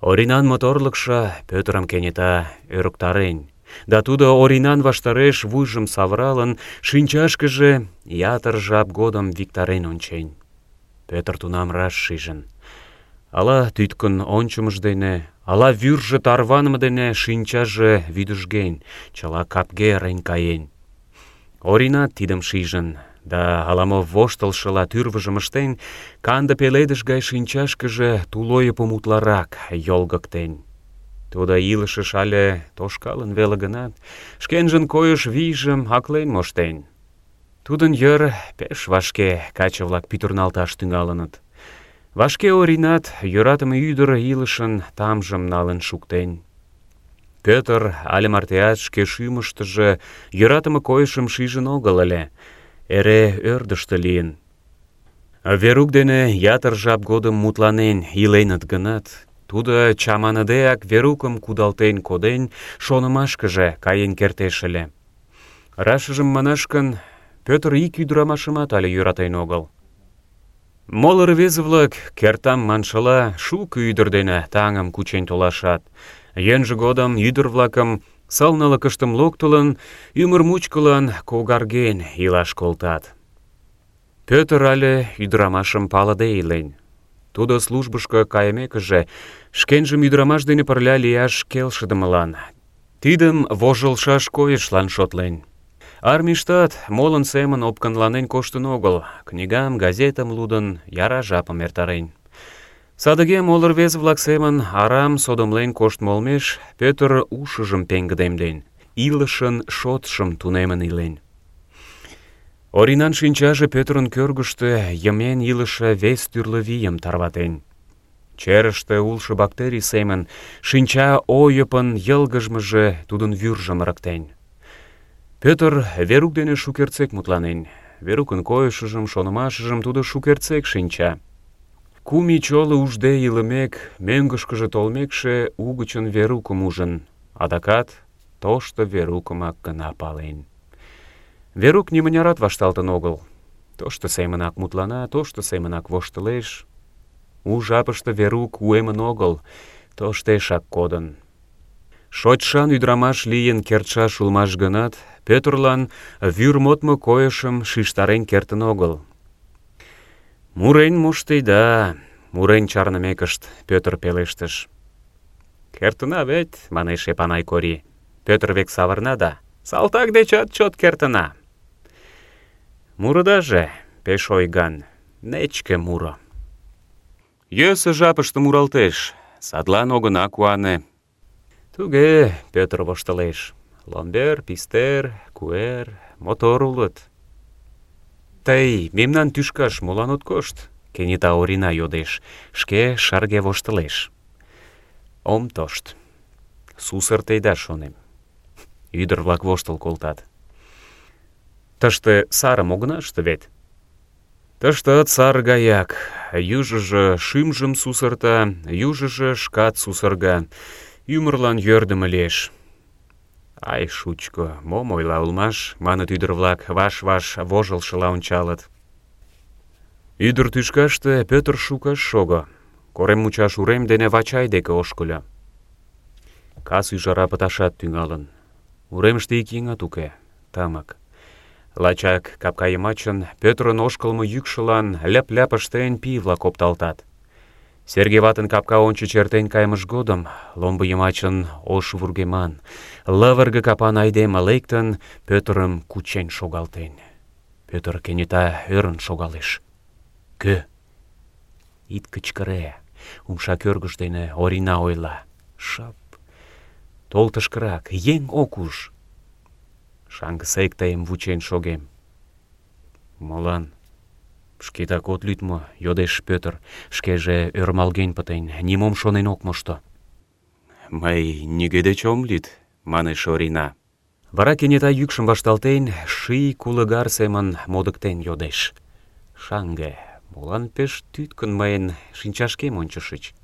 Оринан моторлыкшо Пӧтырым кенета ӧрыктарен, да тудо Оринан ваштареш вуйжым савыралын, шинчашкыже ятыр жап годым виктарен ончен. Пӧтыр тунам раш шижын: ала тӱткын ончымыж дене, ала вӱржӧ тарваныме дене шинчаже вӱдыжген, чыла капге ырен каен. Оринат тидым шижын, да ала-мо воштылшыла тӱрвыжым ыштен, канде пеледыш гай шинчашкыже тулойыпым утларак йолгыктен. Тудо илышыш але тошкалын веле гынат, шкенжын койыш вийжым аклен моштен. Тудын йыр пеш вашке каче-влак пӱтырналташ тӱҥалыныт. Вашке Оринат йӧратыме ӱдыр илышын тамжым налын шуктен. Пӧтыр але мартеат шке шӱмыштыжӧ йӧратыме койышым шижын огыл ыле, эре ӧрдыжтӧ лийын. Верук дене ятыр жап годым мутланен иленыт гынат, тудо чаманыдеак Верукым кудалтен коден, шонымашкыже каен кертеш ыле. Рашыжым манаш гын, Пӧтыр ик ӱдырамашымат але йӧратен огыл. Моло рвезе-влак, кертам маншыла, шуко ӱдыр дене таҥым кучен толашат. Йӧнжӧ годым ӱдыр-влакым, сылнылыкыштым локтылын, ӱмыр мучкылан когарген илаш колтат. Пӧтыр але ӱдырамашым палыде илен. Тудо службышко кайымекыже, шкенжым ӱдырамаш дене пырля лияш келшыдымылан, тидым вожылшаш койышлан шотлен. Армийыштат молын семын опкынланен коштын огыл, книгам, газетым лудын, яра жапым эртарен. Садыге моло рвезе-влак семын арам содомлен коштмо олмеш Пӧтыр ушыжым пеҥгыдемден, илышын шотшым тунемын илен. Оринан шинчаже Пӧтырын кӧргыштӧ йымен илыше вес тӱрлӧ вийым тарватен. Черыште улшо бактерий семын шинча ойыпын йылгыжмыже тудын вӱржым ырыктен. Пӧтыр Верук дене шукертсек мутланен. Верукын койышыжым, шонымашыжым тудо шукертсек шинча. 2 ий чоло ужде илымек, мӧҥгышкыжӧ толмекше, угычын Верукым ужын, адакат тошто Верукымак гына пален. Верук нимынярат вашталтын огыл. Тошто семынак мутлана, тошто семынак воштылеш. У жапыште Верук уэмын огыл, тоштешак кодын. Шочшан ӱдырамаш лийын кертшаш улмаш гынат, Пӧтырлан вӱр модмо койышым шижтарен кертын огыл. Мурен моштеда, мурен чарнымекышт Пӧтыр пелештыш. Кертына вет, манеш Эпанай Кори. Пӧтыр век савырна да: салтак дечат чот кертына. Мурыдаже пеш ойган, нечке муро. Йӧсӧ жапыште муралтеш, садлан огына куане. Туге, Пӧтыр воштылеш. Ломбер, пистер, куэр, мотор улыт. Тый мемнан тӱшкаш молан от кошт? Кенета Орина йодеш, шке шарге воштылеш. Ом тошт. Сусыртеда, шонем. Ӱдыр-влак воштыл колтат. Тыште сарым огына ыште вет? Тыштат сар гаяк. Южыжо шӱмжым сусырта, южыжо шкат сусырга. Ӱмырлан йӧрдымӧ лиеш. Ай, шучко, мом ойла улмаш, маныт ӱдыр-влак, ваш-ваш вожылшыла ончалыт. Ӱдыр тӱшкаште Пӧтыр шуко ыш шого. Корем мучаш урем дене Вачай деке ошкыльо. Кас ӱжара пыташат тӱҥалын. Уремыште ик еҥат уке, тымык. Лачак капка йымачын Пӧтырын ошкылмо йӱкшылан ляп-ляп ыштен пий-влак опталтат. Серге ватын капка ончыч эртен кайымыж годым ломбо йымачын ош вургеман, лывырге капан айдеме лектын, Пӧтырым кучен шогалтен. Пӧтыр кенета ӧрын шогалеш. Кӧ? Ит кычкыре, умша кӧргыш дене Орина ойла. Шып. Тол тышкырак, еҥ ок уж. Шаҥгысек тыйым вучен шогем. Молан? Шкетак от лӱд мо? Йодеш Пӧтыр, шкеже ӧрмалген пытен, нимом шонен ок мошто. Мый нигӧ деч ом лӱд, манеш Орина. Вара кенета йӱкшым вашталтен, ший кулыгар семын модыктен йодеш. Шаҥге, молан пеш тӱткын мыйын шинчашкем ончышыч?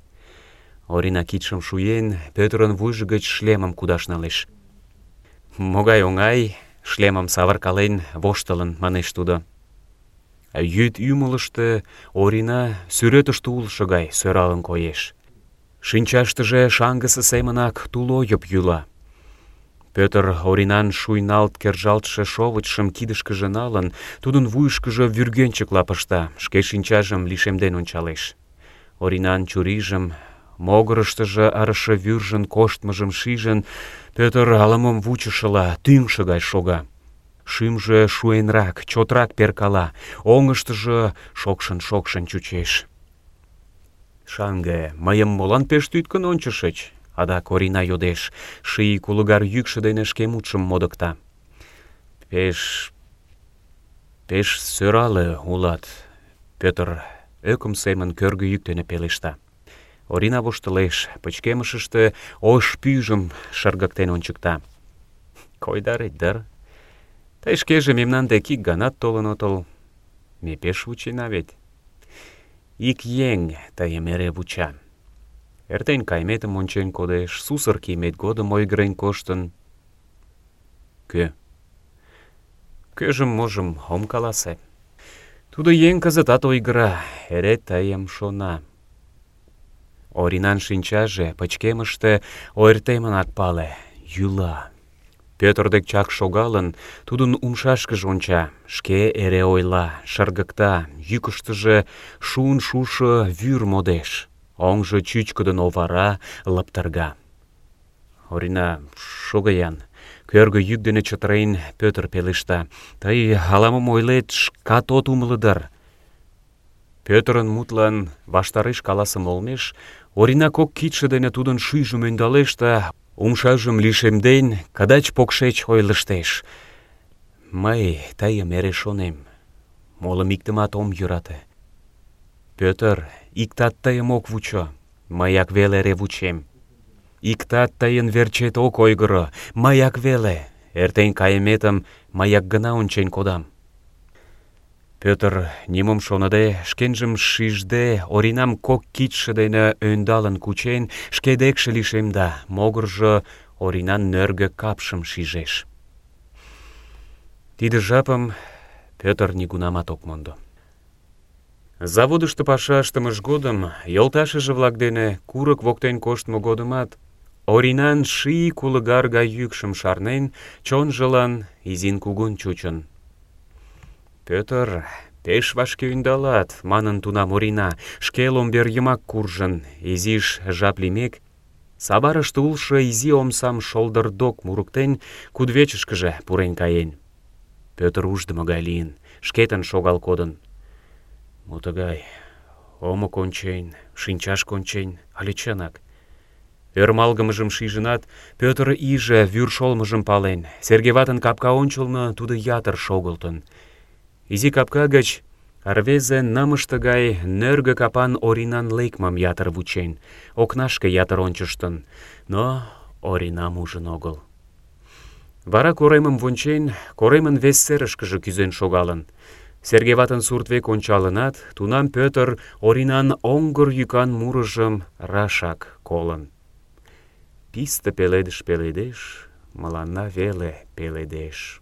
Орина кидшым шуен, Пӧтырын вуйжо гыч шлемым кудаш налеш. Могай оҥай, шлемым савыркален, воштылын, манеш тудо. Йӱд ӱмылыштӧ Орина сӱретыште улшо гай сӧралын коеш. Шинчаштыже шаҥгысе семынак тулойып йӱла. Пӧтыр Оринан шуйналт кержалтше шовычшым кидышкыже налын, тудын вуйышкыжо вӱргенчыкла пышта, шке шинчажым лишемден ончалеш. Оринан чурийжым, могырыштыжо ырыше вӱржын коштмыжым шижын, Пӧтыр ала-мом вучышыла тӱҥшӧ гай шога. Шӱмжӧ шуэнрак, чотрак перкала, оҥыштыжо шокшын-шокшын чучеш. Шаҥге, мыйым молан пеш тӱткын ончышыч? Адак Орина йодеш, ший кулыгар йӱкшӧ дене шке мутшым модыкта. Пеш сӧрале улат, Пӧтыр ӧкым семын кӧргӧ йӱк дене пелешта. Орина воштылеш, пычкемышыште ош пӱйжым шыргыктен ончыкта. Койдарет дыр? Тый шкеже мемнан дек ик ганат толын отыл. Ме пеш вучена вет. Ик еҥ тыйым эре вуча. Эртен кайметым ончен кодеш, сусыр кийымет годым ойгырен коштын. Кӧ? Кӧжым-можым ом каласе. Тудо еҥ кызытат ойгыра, эре тыйым шона. Оринан шинчаже пычкемыште ойыртемынак пале, йӱла. Пӧтыр дек чак шогалын, тудын умшашкыже онча, шке эре ойла, шыргыкта, йӱкыштыжӧ шуын шушо вӱр модеш, оҥжо чӱчкыдын овара, лыптырга. Орина, шого-ян, кӧргӧ йӱк дене чытырен, Пӧтыр пелешта. Тый ала-мом ойлет, шкат от умыло дыр. Пӧтырын мутлан ваштареш каласыме олмеш, Орина кок кидше дене тудын шӱйжым ӧндалеш да, умшажым лишемден, кыдач-покшеч ойлыштеш. Мый тыйым эре шонем, молым иктымат ом йӧрате. Пӧтыр, иктат тыйым ок вучо, мыяк веле эре вучем. Иктат тыйын верчет ок ойгыро, мыяк веле. Эртен кайыметым мыяк гына ончен кодам. Пӧтыр, нимом шоныде, шкенжым шижде, Оринам кок кидше дене ӧндалын кучен, шке декше лишемда, могыржо Оринан нӧргӧ капшым шижеш. Тиде жапым Пӧтыр нигунамат ок мондо. Заводышто паша ыштымыж годым, йолташыже-влак дене курык воктен коштмо годымат, Оринан ший кулыгар гай йӱкшым шарнен, чонжылан изин-кугун чучын. Пӧтыр, пеш вашке ӧндалат, манын тунам Орина, шке ломбер йымак куржын, изиш жап лиймек, саварыште улшо изи омсам шолдырдок мурыктен, кудывечышкыже пурен каен. Пӧтыр уждымо гай лийын, шкетын шогал кодын. Мо тыгай? Омо кончен, шинчаш кончен, але чынак? Ӧрмалгымыжым шижынат, Пӧтыр иже вӱр шолмыжым пален. Серге ватын капка ончылно тудо ятыр шогылтын. Изи капка гыч рвезе нымыште гай нӧргӧ капан Оринан лекмым ятыр вучен, окнашке ятыр ончыштын, но Оринам ужын огыл. Вара коремым вончен, коремын вес серышкыже кӱзен шогалын. Серге ватын сурт век ончалынат, тунам Пӧтыр Оринан оҥгыр йӱкан мурыжым рашак колын. Писте пеледыш пеледеш, мыланна веле пеледеш.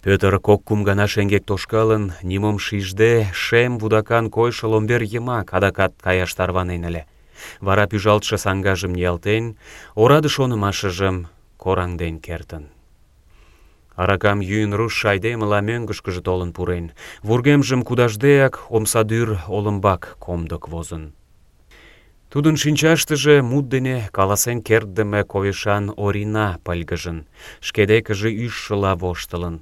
Пӧтыр кок-кум гана шеҥгек тошкалын, нимом шижде, шем вудакан койшо ломбер йымак адакат каяш тарванен ыле. Вара пӱжалтше саҥгажым ниялтен, ораде шонымашыжым кораҥден кертын. Аракам йӱын руштшо айдемыла мӧҥгышкыжӧ толын пурен, вургемжым кудашдеак омсадӱр олымбак комдык возын. Тудын шинчаштыже мут дене каласен кертдыме койышан Орина пыльгыжын, шке декыже ӱжшыла воштылын.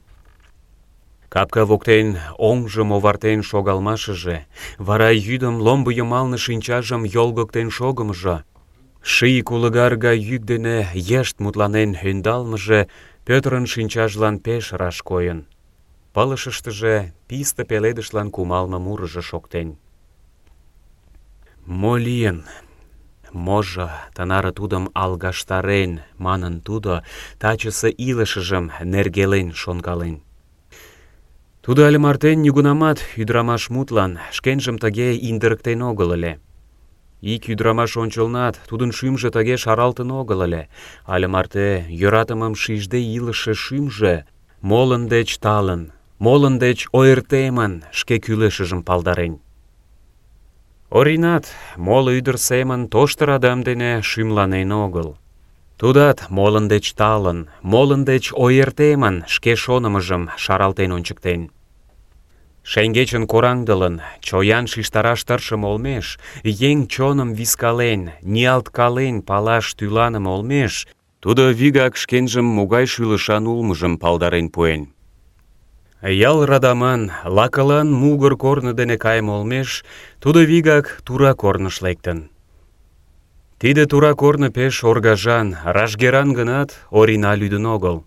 Капка воктен оҥжым овартен шогалмашыже, вара йӱдым ломбо йымалне шинчажым йолгыктен шогымыжо, ший кулыгар гай йӱк дене йышт мутланен ӧндалмыже Пӧтырын шинчажлан пеш раш койын. Пылышыштыже писте пеледышлан кумалме мурыжо шоктен. «Мо лийын? Можо тынаре тудым алгаштарен?» манын тудо тачысе илышыжым нергелен шонкален. Тудо але мартен нигунамат ӱдырамаш мутлан шкенжым тыге индырыктен огыл ыле. Ик ӱдырамаш ончылнат тудын шӱмжӧ тыге шаралтын огыл ыле. Але марте йӧратымым шижде илыше шӱмжӧ молын деч талын, молын деч ойыртемын шке кӱлешыжым палдарен. Оринат моло ӱдыр семын тошто радам дене шӱмланен огыл. Тудат молын деч талын, молын деч ойыртемын шке шонымыжым шаралтен ончыктен. Шеҥгечын кораҥдылын, чоян шижтараш тыршыме олмеш, еҥ чоным вискален, ниялткален палаш тӱланыме олмеш, тудо вигак шкенжым могай шӱлышан улмыжым палдарен пуэн. Ял радаман, лакылан мугыр корно дене кайыме олмеш, тудо вигак тура корныш лектын. Тиде тура корно пеш оргажан, ражгеран гынат, Орина лӱдын огыл.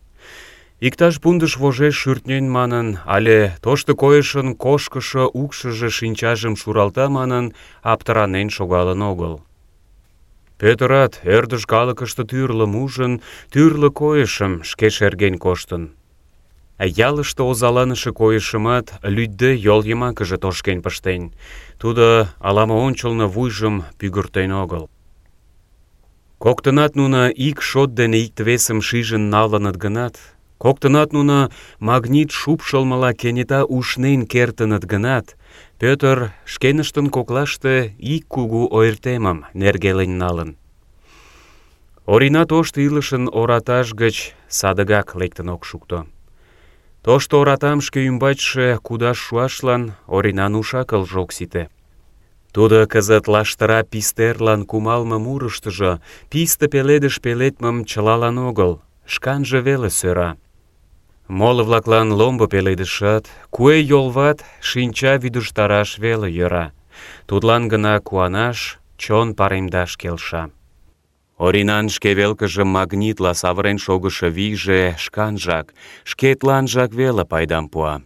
Иктаж пундыш вожеш шӱртнен манын, але тошто койышын кошкышо укшыжо шинчажым шуралта манын, аптыранен шогалын огыл. Пӧтырат ӧрдыж калыкыште тӱрлым ужын, тӱрлӧ койышым шке шерген коштын. Ялыште озаланыше койышымат лӱдде йол йымакыже тошкен пыштен. Тудо ала-мо ончылно вуйжым пӱгыртен огыл. Коктынат нуно ик шот дене икте-весым шижын налыныт гынат, коктынат нуно магнит шупшылмыла кенета ушнен кертыныт гынат, Пӧтыр шкеныштын коклаште ик кугу ойыртемым нергелен налын. Орина тошто илышын оратаж гыч садыгак лектын ок шукто. Тошто оратам шке ӱмбачше кудаш шуашлан Оринан уш-акылже ок сите. Тудо кызыт лаштыра пистерлан кумалме мурыштыжо писте пеледыш пеледмым чылалан огыл, шканже веле сӧра. Моло-влаклан ломбо пеледышат, куэ йолват шинча вӱдыжтараш веле йӧра. Тудлан гына куанаш, чон паремдаш келша. Оринан шке велкыже магнитла савырен шогышо вийже шканжак, шкетланжак веле пайдам пуа.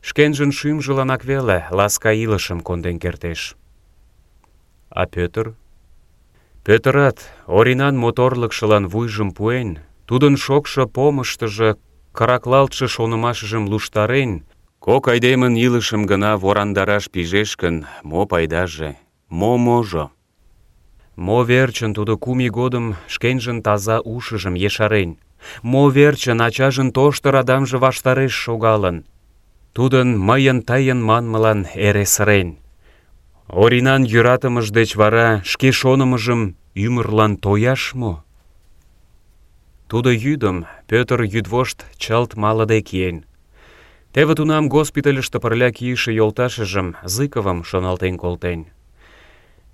Шкенжын шӱмжыланак веле ласка илышым конден кертеш. А Пӧтыр? Пӧтырат Оринан моторлыкшылан вуйжым пуэн, тудын шокшо помыштыжо кыраклалтше шонымашыжым луштарен, кок айдемын илышым гына ворандараш пижеш гын, мо пайдаже, мо можо? Мо верчын тудо 2 ий годым шкенжын таза ушыжым ешарен? Мо верчын ачажын тошто радамже ваштареш шогалын? Тудын мыйын тыйын манмылан эре сырен. Оринан йӧратымыж деч вара шке шонымыжым ӱмырлан тояш мо? Тудо йӱдым Пӧтыр йӱдвошт чылт малыде киен. Теве тунам госпитальыште пырля кийыше йолташыжым, Зыковым, шоналтен колтен.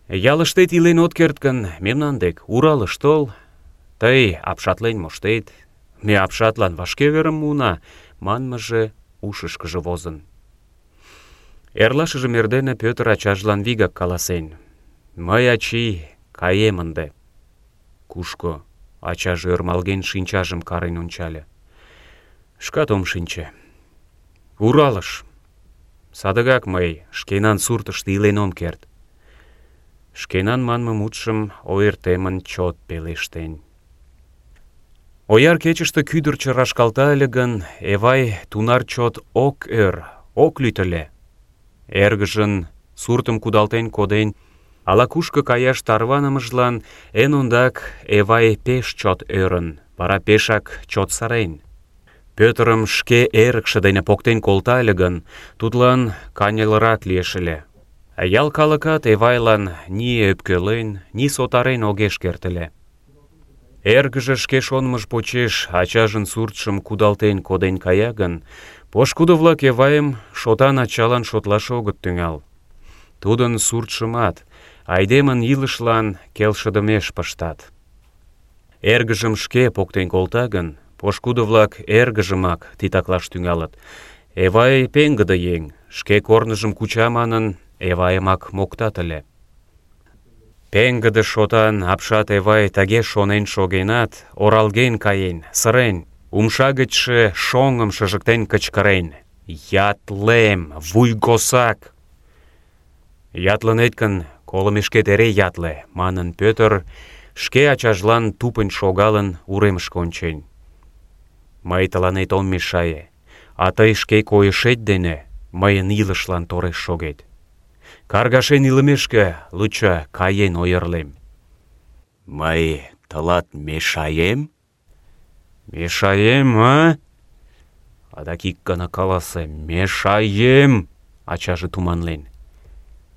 Ялыштет илен от керт гын, мемнан дек Уралыш тол, тый апшатлен моштет, ме апшатлан вашке верым муына, манмыже ушышкыжо возын. Эрлашыжым эрдене Пӧтыр ачажлан вигак каласен: «Мый, ачий, каем ынде». Кушко? Ачаже ӧрмалген шинчажым карен ончале. Шкат ом шинче. Уралыш. Садыгак мый шкенан суртышто илен ом керт. Шкенан манме мутшым ойыртемын чот пелештен. Ояр кечыште кӱдырчӧ рашкалта ыле гын, Эвай тунар чот ок ӧр, ок лӱд ыле. Эргыжын суртым кудалтен коден, ала-кушко каяш тарванымыжлан эн ондак Эвай пеш чот ӧрын, вара пешак чот сырен. Пӧтырым шке эрыкше дене поктен колта ыле гын, тудлан каньылырак лиеш ыле. Ял калыкат Эвайлан ни ӧпкелен, ни сотарен огеш керт ыле. Эргыже шке шонымыж почеш ачажын суртшым кудалтен коден кая гын, пошкудо-влак Эвайым шотан ачалан шотлаш огыт тӱҥал. Тудын суртшымат айдемын илышлан келшыдымеш пыштат. Эргыжым шке поктен колта гын, пошкудо-влак эргыжымак титаклаш тӱҥалыт. Эвай пеҥгыде еҥ, шке корныжым куча манын, Эвайымак моктат ыле. Пеҥгыде шотан апшат Эвай тыге шонен шогенат, оралген каен, сырен, умша гычше шоҥым шыжыктен кычкырен: «Ятлем, вуйгосак!» «Ятлынет гын, колымешкет эре ятле», — манын Пӧтыр, шке ачажлан тупынь шогалын, уремышке ончен. «Мый тыланет ом мешае, а тый шке койышет дене мыйын илышлан тореш шогет. Каргашен илымешке, лучо каен ойырлем». «Мый тылат мешаем?» «Мешаем, а?» «Адак ик гана каласе: мешаем!» — ачаже туманлен.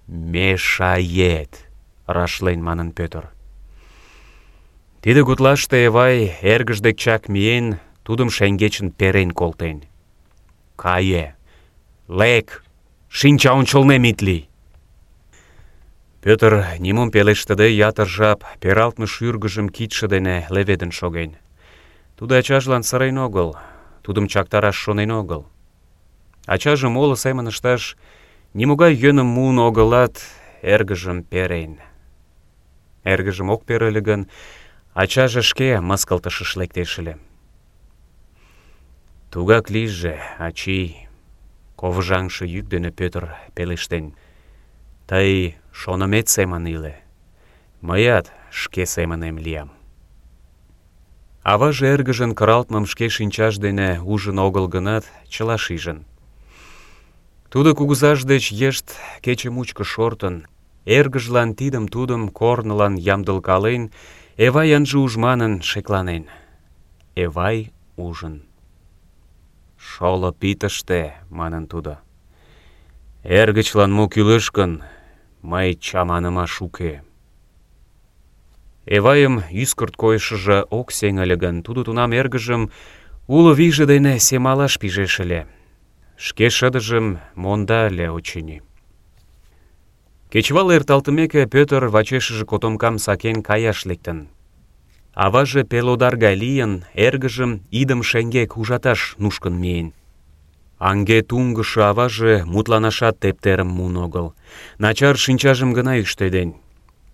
«Мешает!» — рашлен манын Пӧтыр. Тиде гутлаште Эвай эргыж дек чак миен, тудым шеҥгечын перен колтен. «Кае! Лек! Шинча ончылнем ит лий!» Пӧтыр нимом пелештыде ятыр жап пералтме шӱргыжым кидше дене леведын шоген. Тудо ачажлан сырен огыл, тудым чактараш шонен огыл. Ачаже моло семын ышташ нимогай йӧным муын огылат, эргыжым перен. Эргыжым ок пере ыле гын, ачаже шке мыскылтышыш лектеш ыле. «Тугак лийже, ачий», — ковыжаҥше йӱк дене Пӧтыр пелештен. «Тый шонымет семын иле, мыят шке семынем лиям». Аваже эргыжын кыралтмым шке шинчаж дене ужын огыл гынат, чыла шижын. Тудо кугызаж деч йышт кече мучко шортын, эргыжлан тидым-тудым корнылан ямдылкален, Эвай ынже уж манын шекланен. Эвай ужын. «Шолып ит ыште», — манын тудо. «Эргычлан мо кӱлеш гын, мый чаманымаш уке». Эвайым ӱскырт койышыжо ок сеҥ ыле гын, тудо тунам эргыжым уло вийже дене семалаш пижеш ыле. Шке шыдыжым монда ыле, очыни. Кечывал эрталтымеке, Пӧтыр вачешыже котомкам сакен каяш лектын. Аваже пелодар гай лийын, эргыжым идым шеҥгек ужаташ нушкын миен. Аҥге туҥгышо аваже мутланашат тептерым муын огыл. Начар шинчажым гына ӱштеден.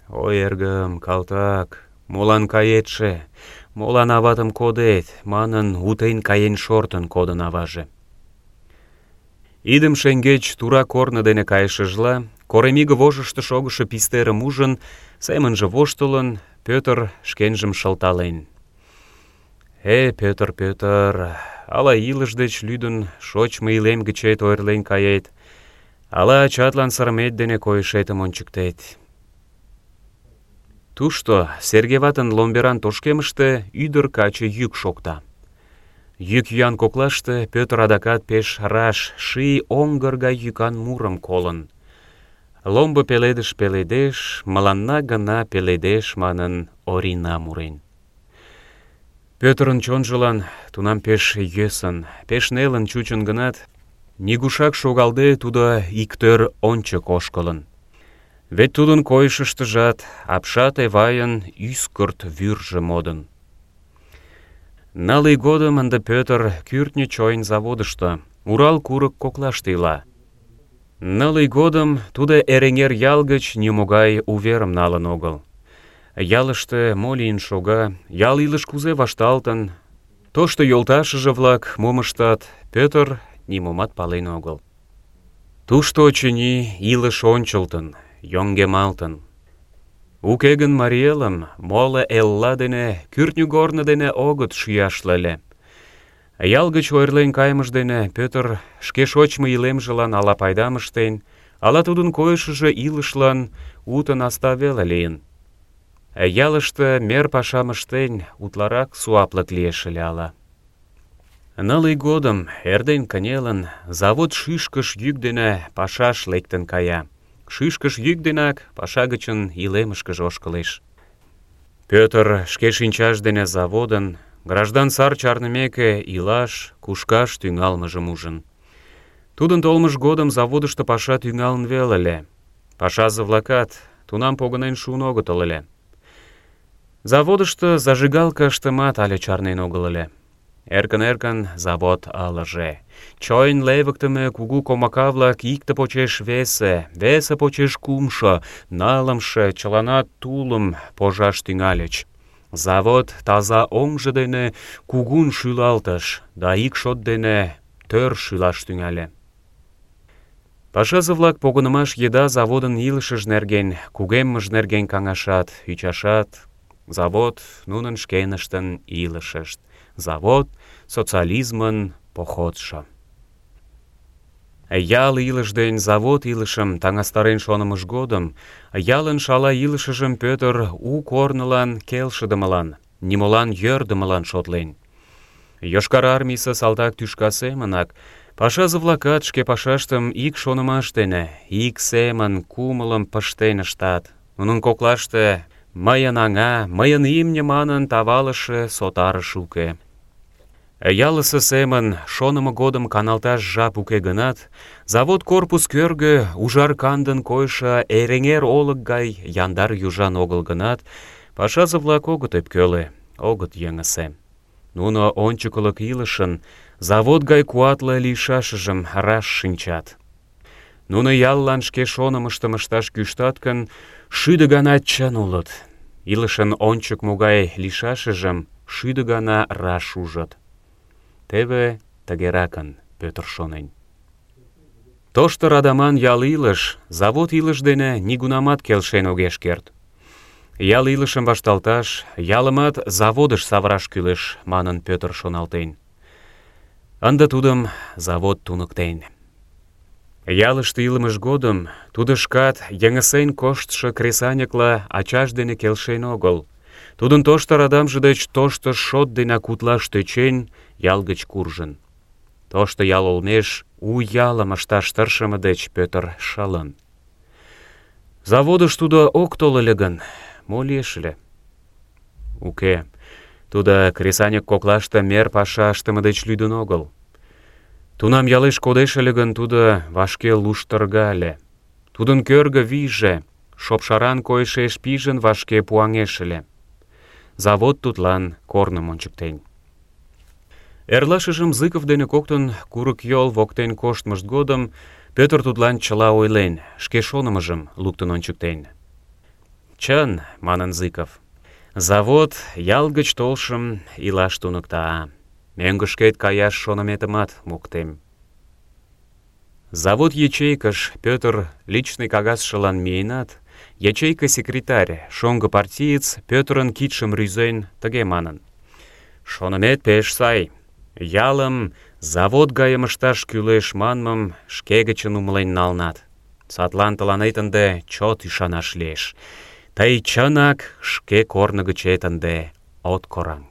«Ой, эргым, калтак, молан каетше, молан аватым кодет?» манын, утен каен шортын кодын аваже. Идым шеҥгеч тура корно дене кайышыжла, коремиге вожышто шогышо пистерым ужын, семынже воштылын, Пӧтыр шкенжым шылтален. Пӧтыр, Пӧтыр, ала илыш деч лӱдын шочмо илем гычет ойырлен кает, ала ачатлан сырымет дене койышетым ончыктет». Тушто, Серге ватын ломберан тошкемыште, ӱдыр-каче йӱк шокта. Йӱк-йӱан коклаште Пӧтыр адакат пеш раш ший оҥгыр гай йӱкан мурым колын. «Ломбо пеледыш пеледеш, мыланна гына пеледеш» манын, Орина мурен. Пӧтырын чонжылан тунам пеш йӧсын, пеш нелын чучын гынат, нигушак шогалде тудо иктӧр ончык ошкылын. Вет тудын койышыштыжат апшат Эвайын ӱскырт вӱржӧ модын. Ныл ий годым ынде Пӧтыр кӱртньӧ чойн заводышто, Урал курык коклаште ила. Ныл ий годым тудо Эреҥер ял гыч нимогай уверым налын огыл. Ялыште мо лийын шога, ял илыш кузе вашталтын, тошто йолташыже-влак мом ыштат, Пӧтыр нимомат пален огыл. Тушто, очыни, илыш ончылтын, йоҥгемалтын. Уке гын марий элым моло элла дене, кӱртньыгорно дене огыт шӱяшле ыле. Ял гыч ойырлен кайымыж дене Пӧтыр шке шочмо илемжылан ала пайдам ыштен, ала тудын койышыжо илышлан уто наста веле лийын. Ялыште мер пашам ыштен, утларак суаплык лиеш ыле ала. 9 ий годым, эрден кынелын, завод шӱшкыш йӱк дене пашаш лектын кая. Шӱшкыш йӱк денак паша гычын илемышкыже ошкылеш. Пӧтыр шке шинчаж дене заводын, граждан сар чарнымеке, илаш, кушкаш тӱҥалмыжым ужын. Тудын толмыж годым заводышто паша тӱҥалын веле ыле. Пашазе-влакат тунам погынен шуын огытыл ыле. Заводышто зажигалка ыштымат але чарнен огыл ыле. Эркын-эркын завод ылыже. Чойн левыктыме кугу комака-влак икте почеш весе, весе почеш кумшо, нылымше чыланат тулым пожаш тӱҥальыч. Завод таза оҥжо дене кугун шӱлалтыш да ик шот дене тӧр шӱлаш тӱҥале. Пашазе-влак погынымаш еда заводын илышыж нерген, кугеммыж нерген каҥашат, ӱчашат. Завод нунын шкеныштын илышышт. Завод — социализмын походшо. Ял илыш ден завод илышым таҥастарен шонымыж годым, ялын шала илышыжым Пӧтыр у корнылан келшыдымылан, нимолан йӧрдымылан шотлен. Йошкар Армийысе салтак тӱшка семынак пашазе-влакат шке пашаштым ик шонымаш дене, ик семын кумылым пыштен ыштат. Нунын коклаште «мыйын аҥа», «мыйын имне» манын тавалыше сотарыш уке. Ялысе семын шонымо годым каналташ жап уке гынат, завод корпус кӧргӧ ужар кандын койшо Эреҥер олык гай яндар южан огыл гынат, пашазе-влак огыт ӧпкеле, огыт йыҥысе. Нуно ончыкылык илышын завод гай куатле лийшашыжым раш шинчат. Нуно яллан шке шонымыштым ышташ кӱштат гын, 1000 гана чын улыт. Илышын ончык могай лийшашыжым 1000 гана раш ужыт. Теве тыгеракын Пӧтыр шонен. Тошто радаман ял илыш завод илыш дене нигунамат келшен огеш керт. Ял илышым вашталташ, ялымат заводыш савыраш кӱлеш, манын Пӧтыр шоналтен. Ынде тудым завод туныктен. Ялыште илымыж годым тудо шкат йыҥысен коштшо кресаньыкла ачаж дене келшен огыл. Тудын тошто радамже деч тошто шот денак утлаш тӧчен, ял гыч куржын. Тошто ял олмеш у ялым ышташ тыршыме деч Пӧтыр шылын. Заводыш тудо ок тол ыле гын, мо лиеш ыле? Уке, тудо кресаньык коклаште мер паша ыштыме деч лӱдын огыл. Тунам ялеш кодеш ыле гын, тудо вашке луштырга ыле. Тудын кӧргӧ вийже, шопшаран койышеш пижын, вашке пуаҥеш ыле. Завод тудлан корным ончыктен. Эрлашыжым Зыков дене коктын курык йол воктен коштмышт годым Пӧтыр тудлан чыла ойлен, шке шонымыжым луктын ончыктен. «Чын, — манын Зыков, — завод ял гыч толшым илаш туныкта. Мӧҥгышкет каяш шоныметымат моктем». Завод ячейкыш Пӧтыр личный кагазшылан миенат, ячейка секретарь, шоҥго партиец Пӧтырын кидшым рӱзен, тыге манын: «Шонымет пеш сай. Ялым завод гайым ышташ кӱлеш манмым шке гычын умылен налнат. Садлан тыланет ынде чот ӱшанаш лиеш. Тый чынак шке корно гычет ынде от кораҥ».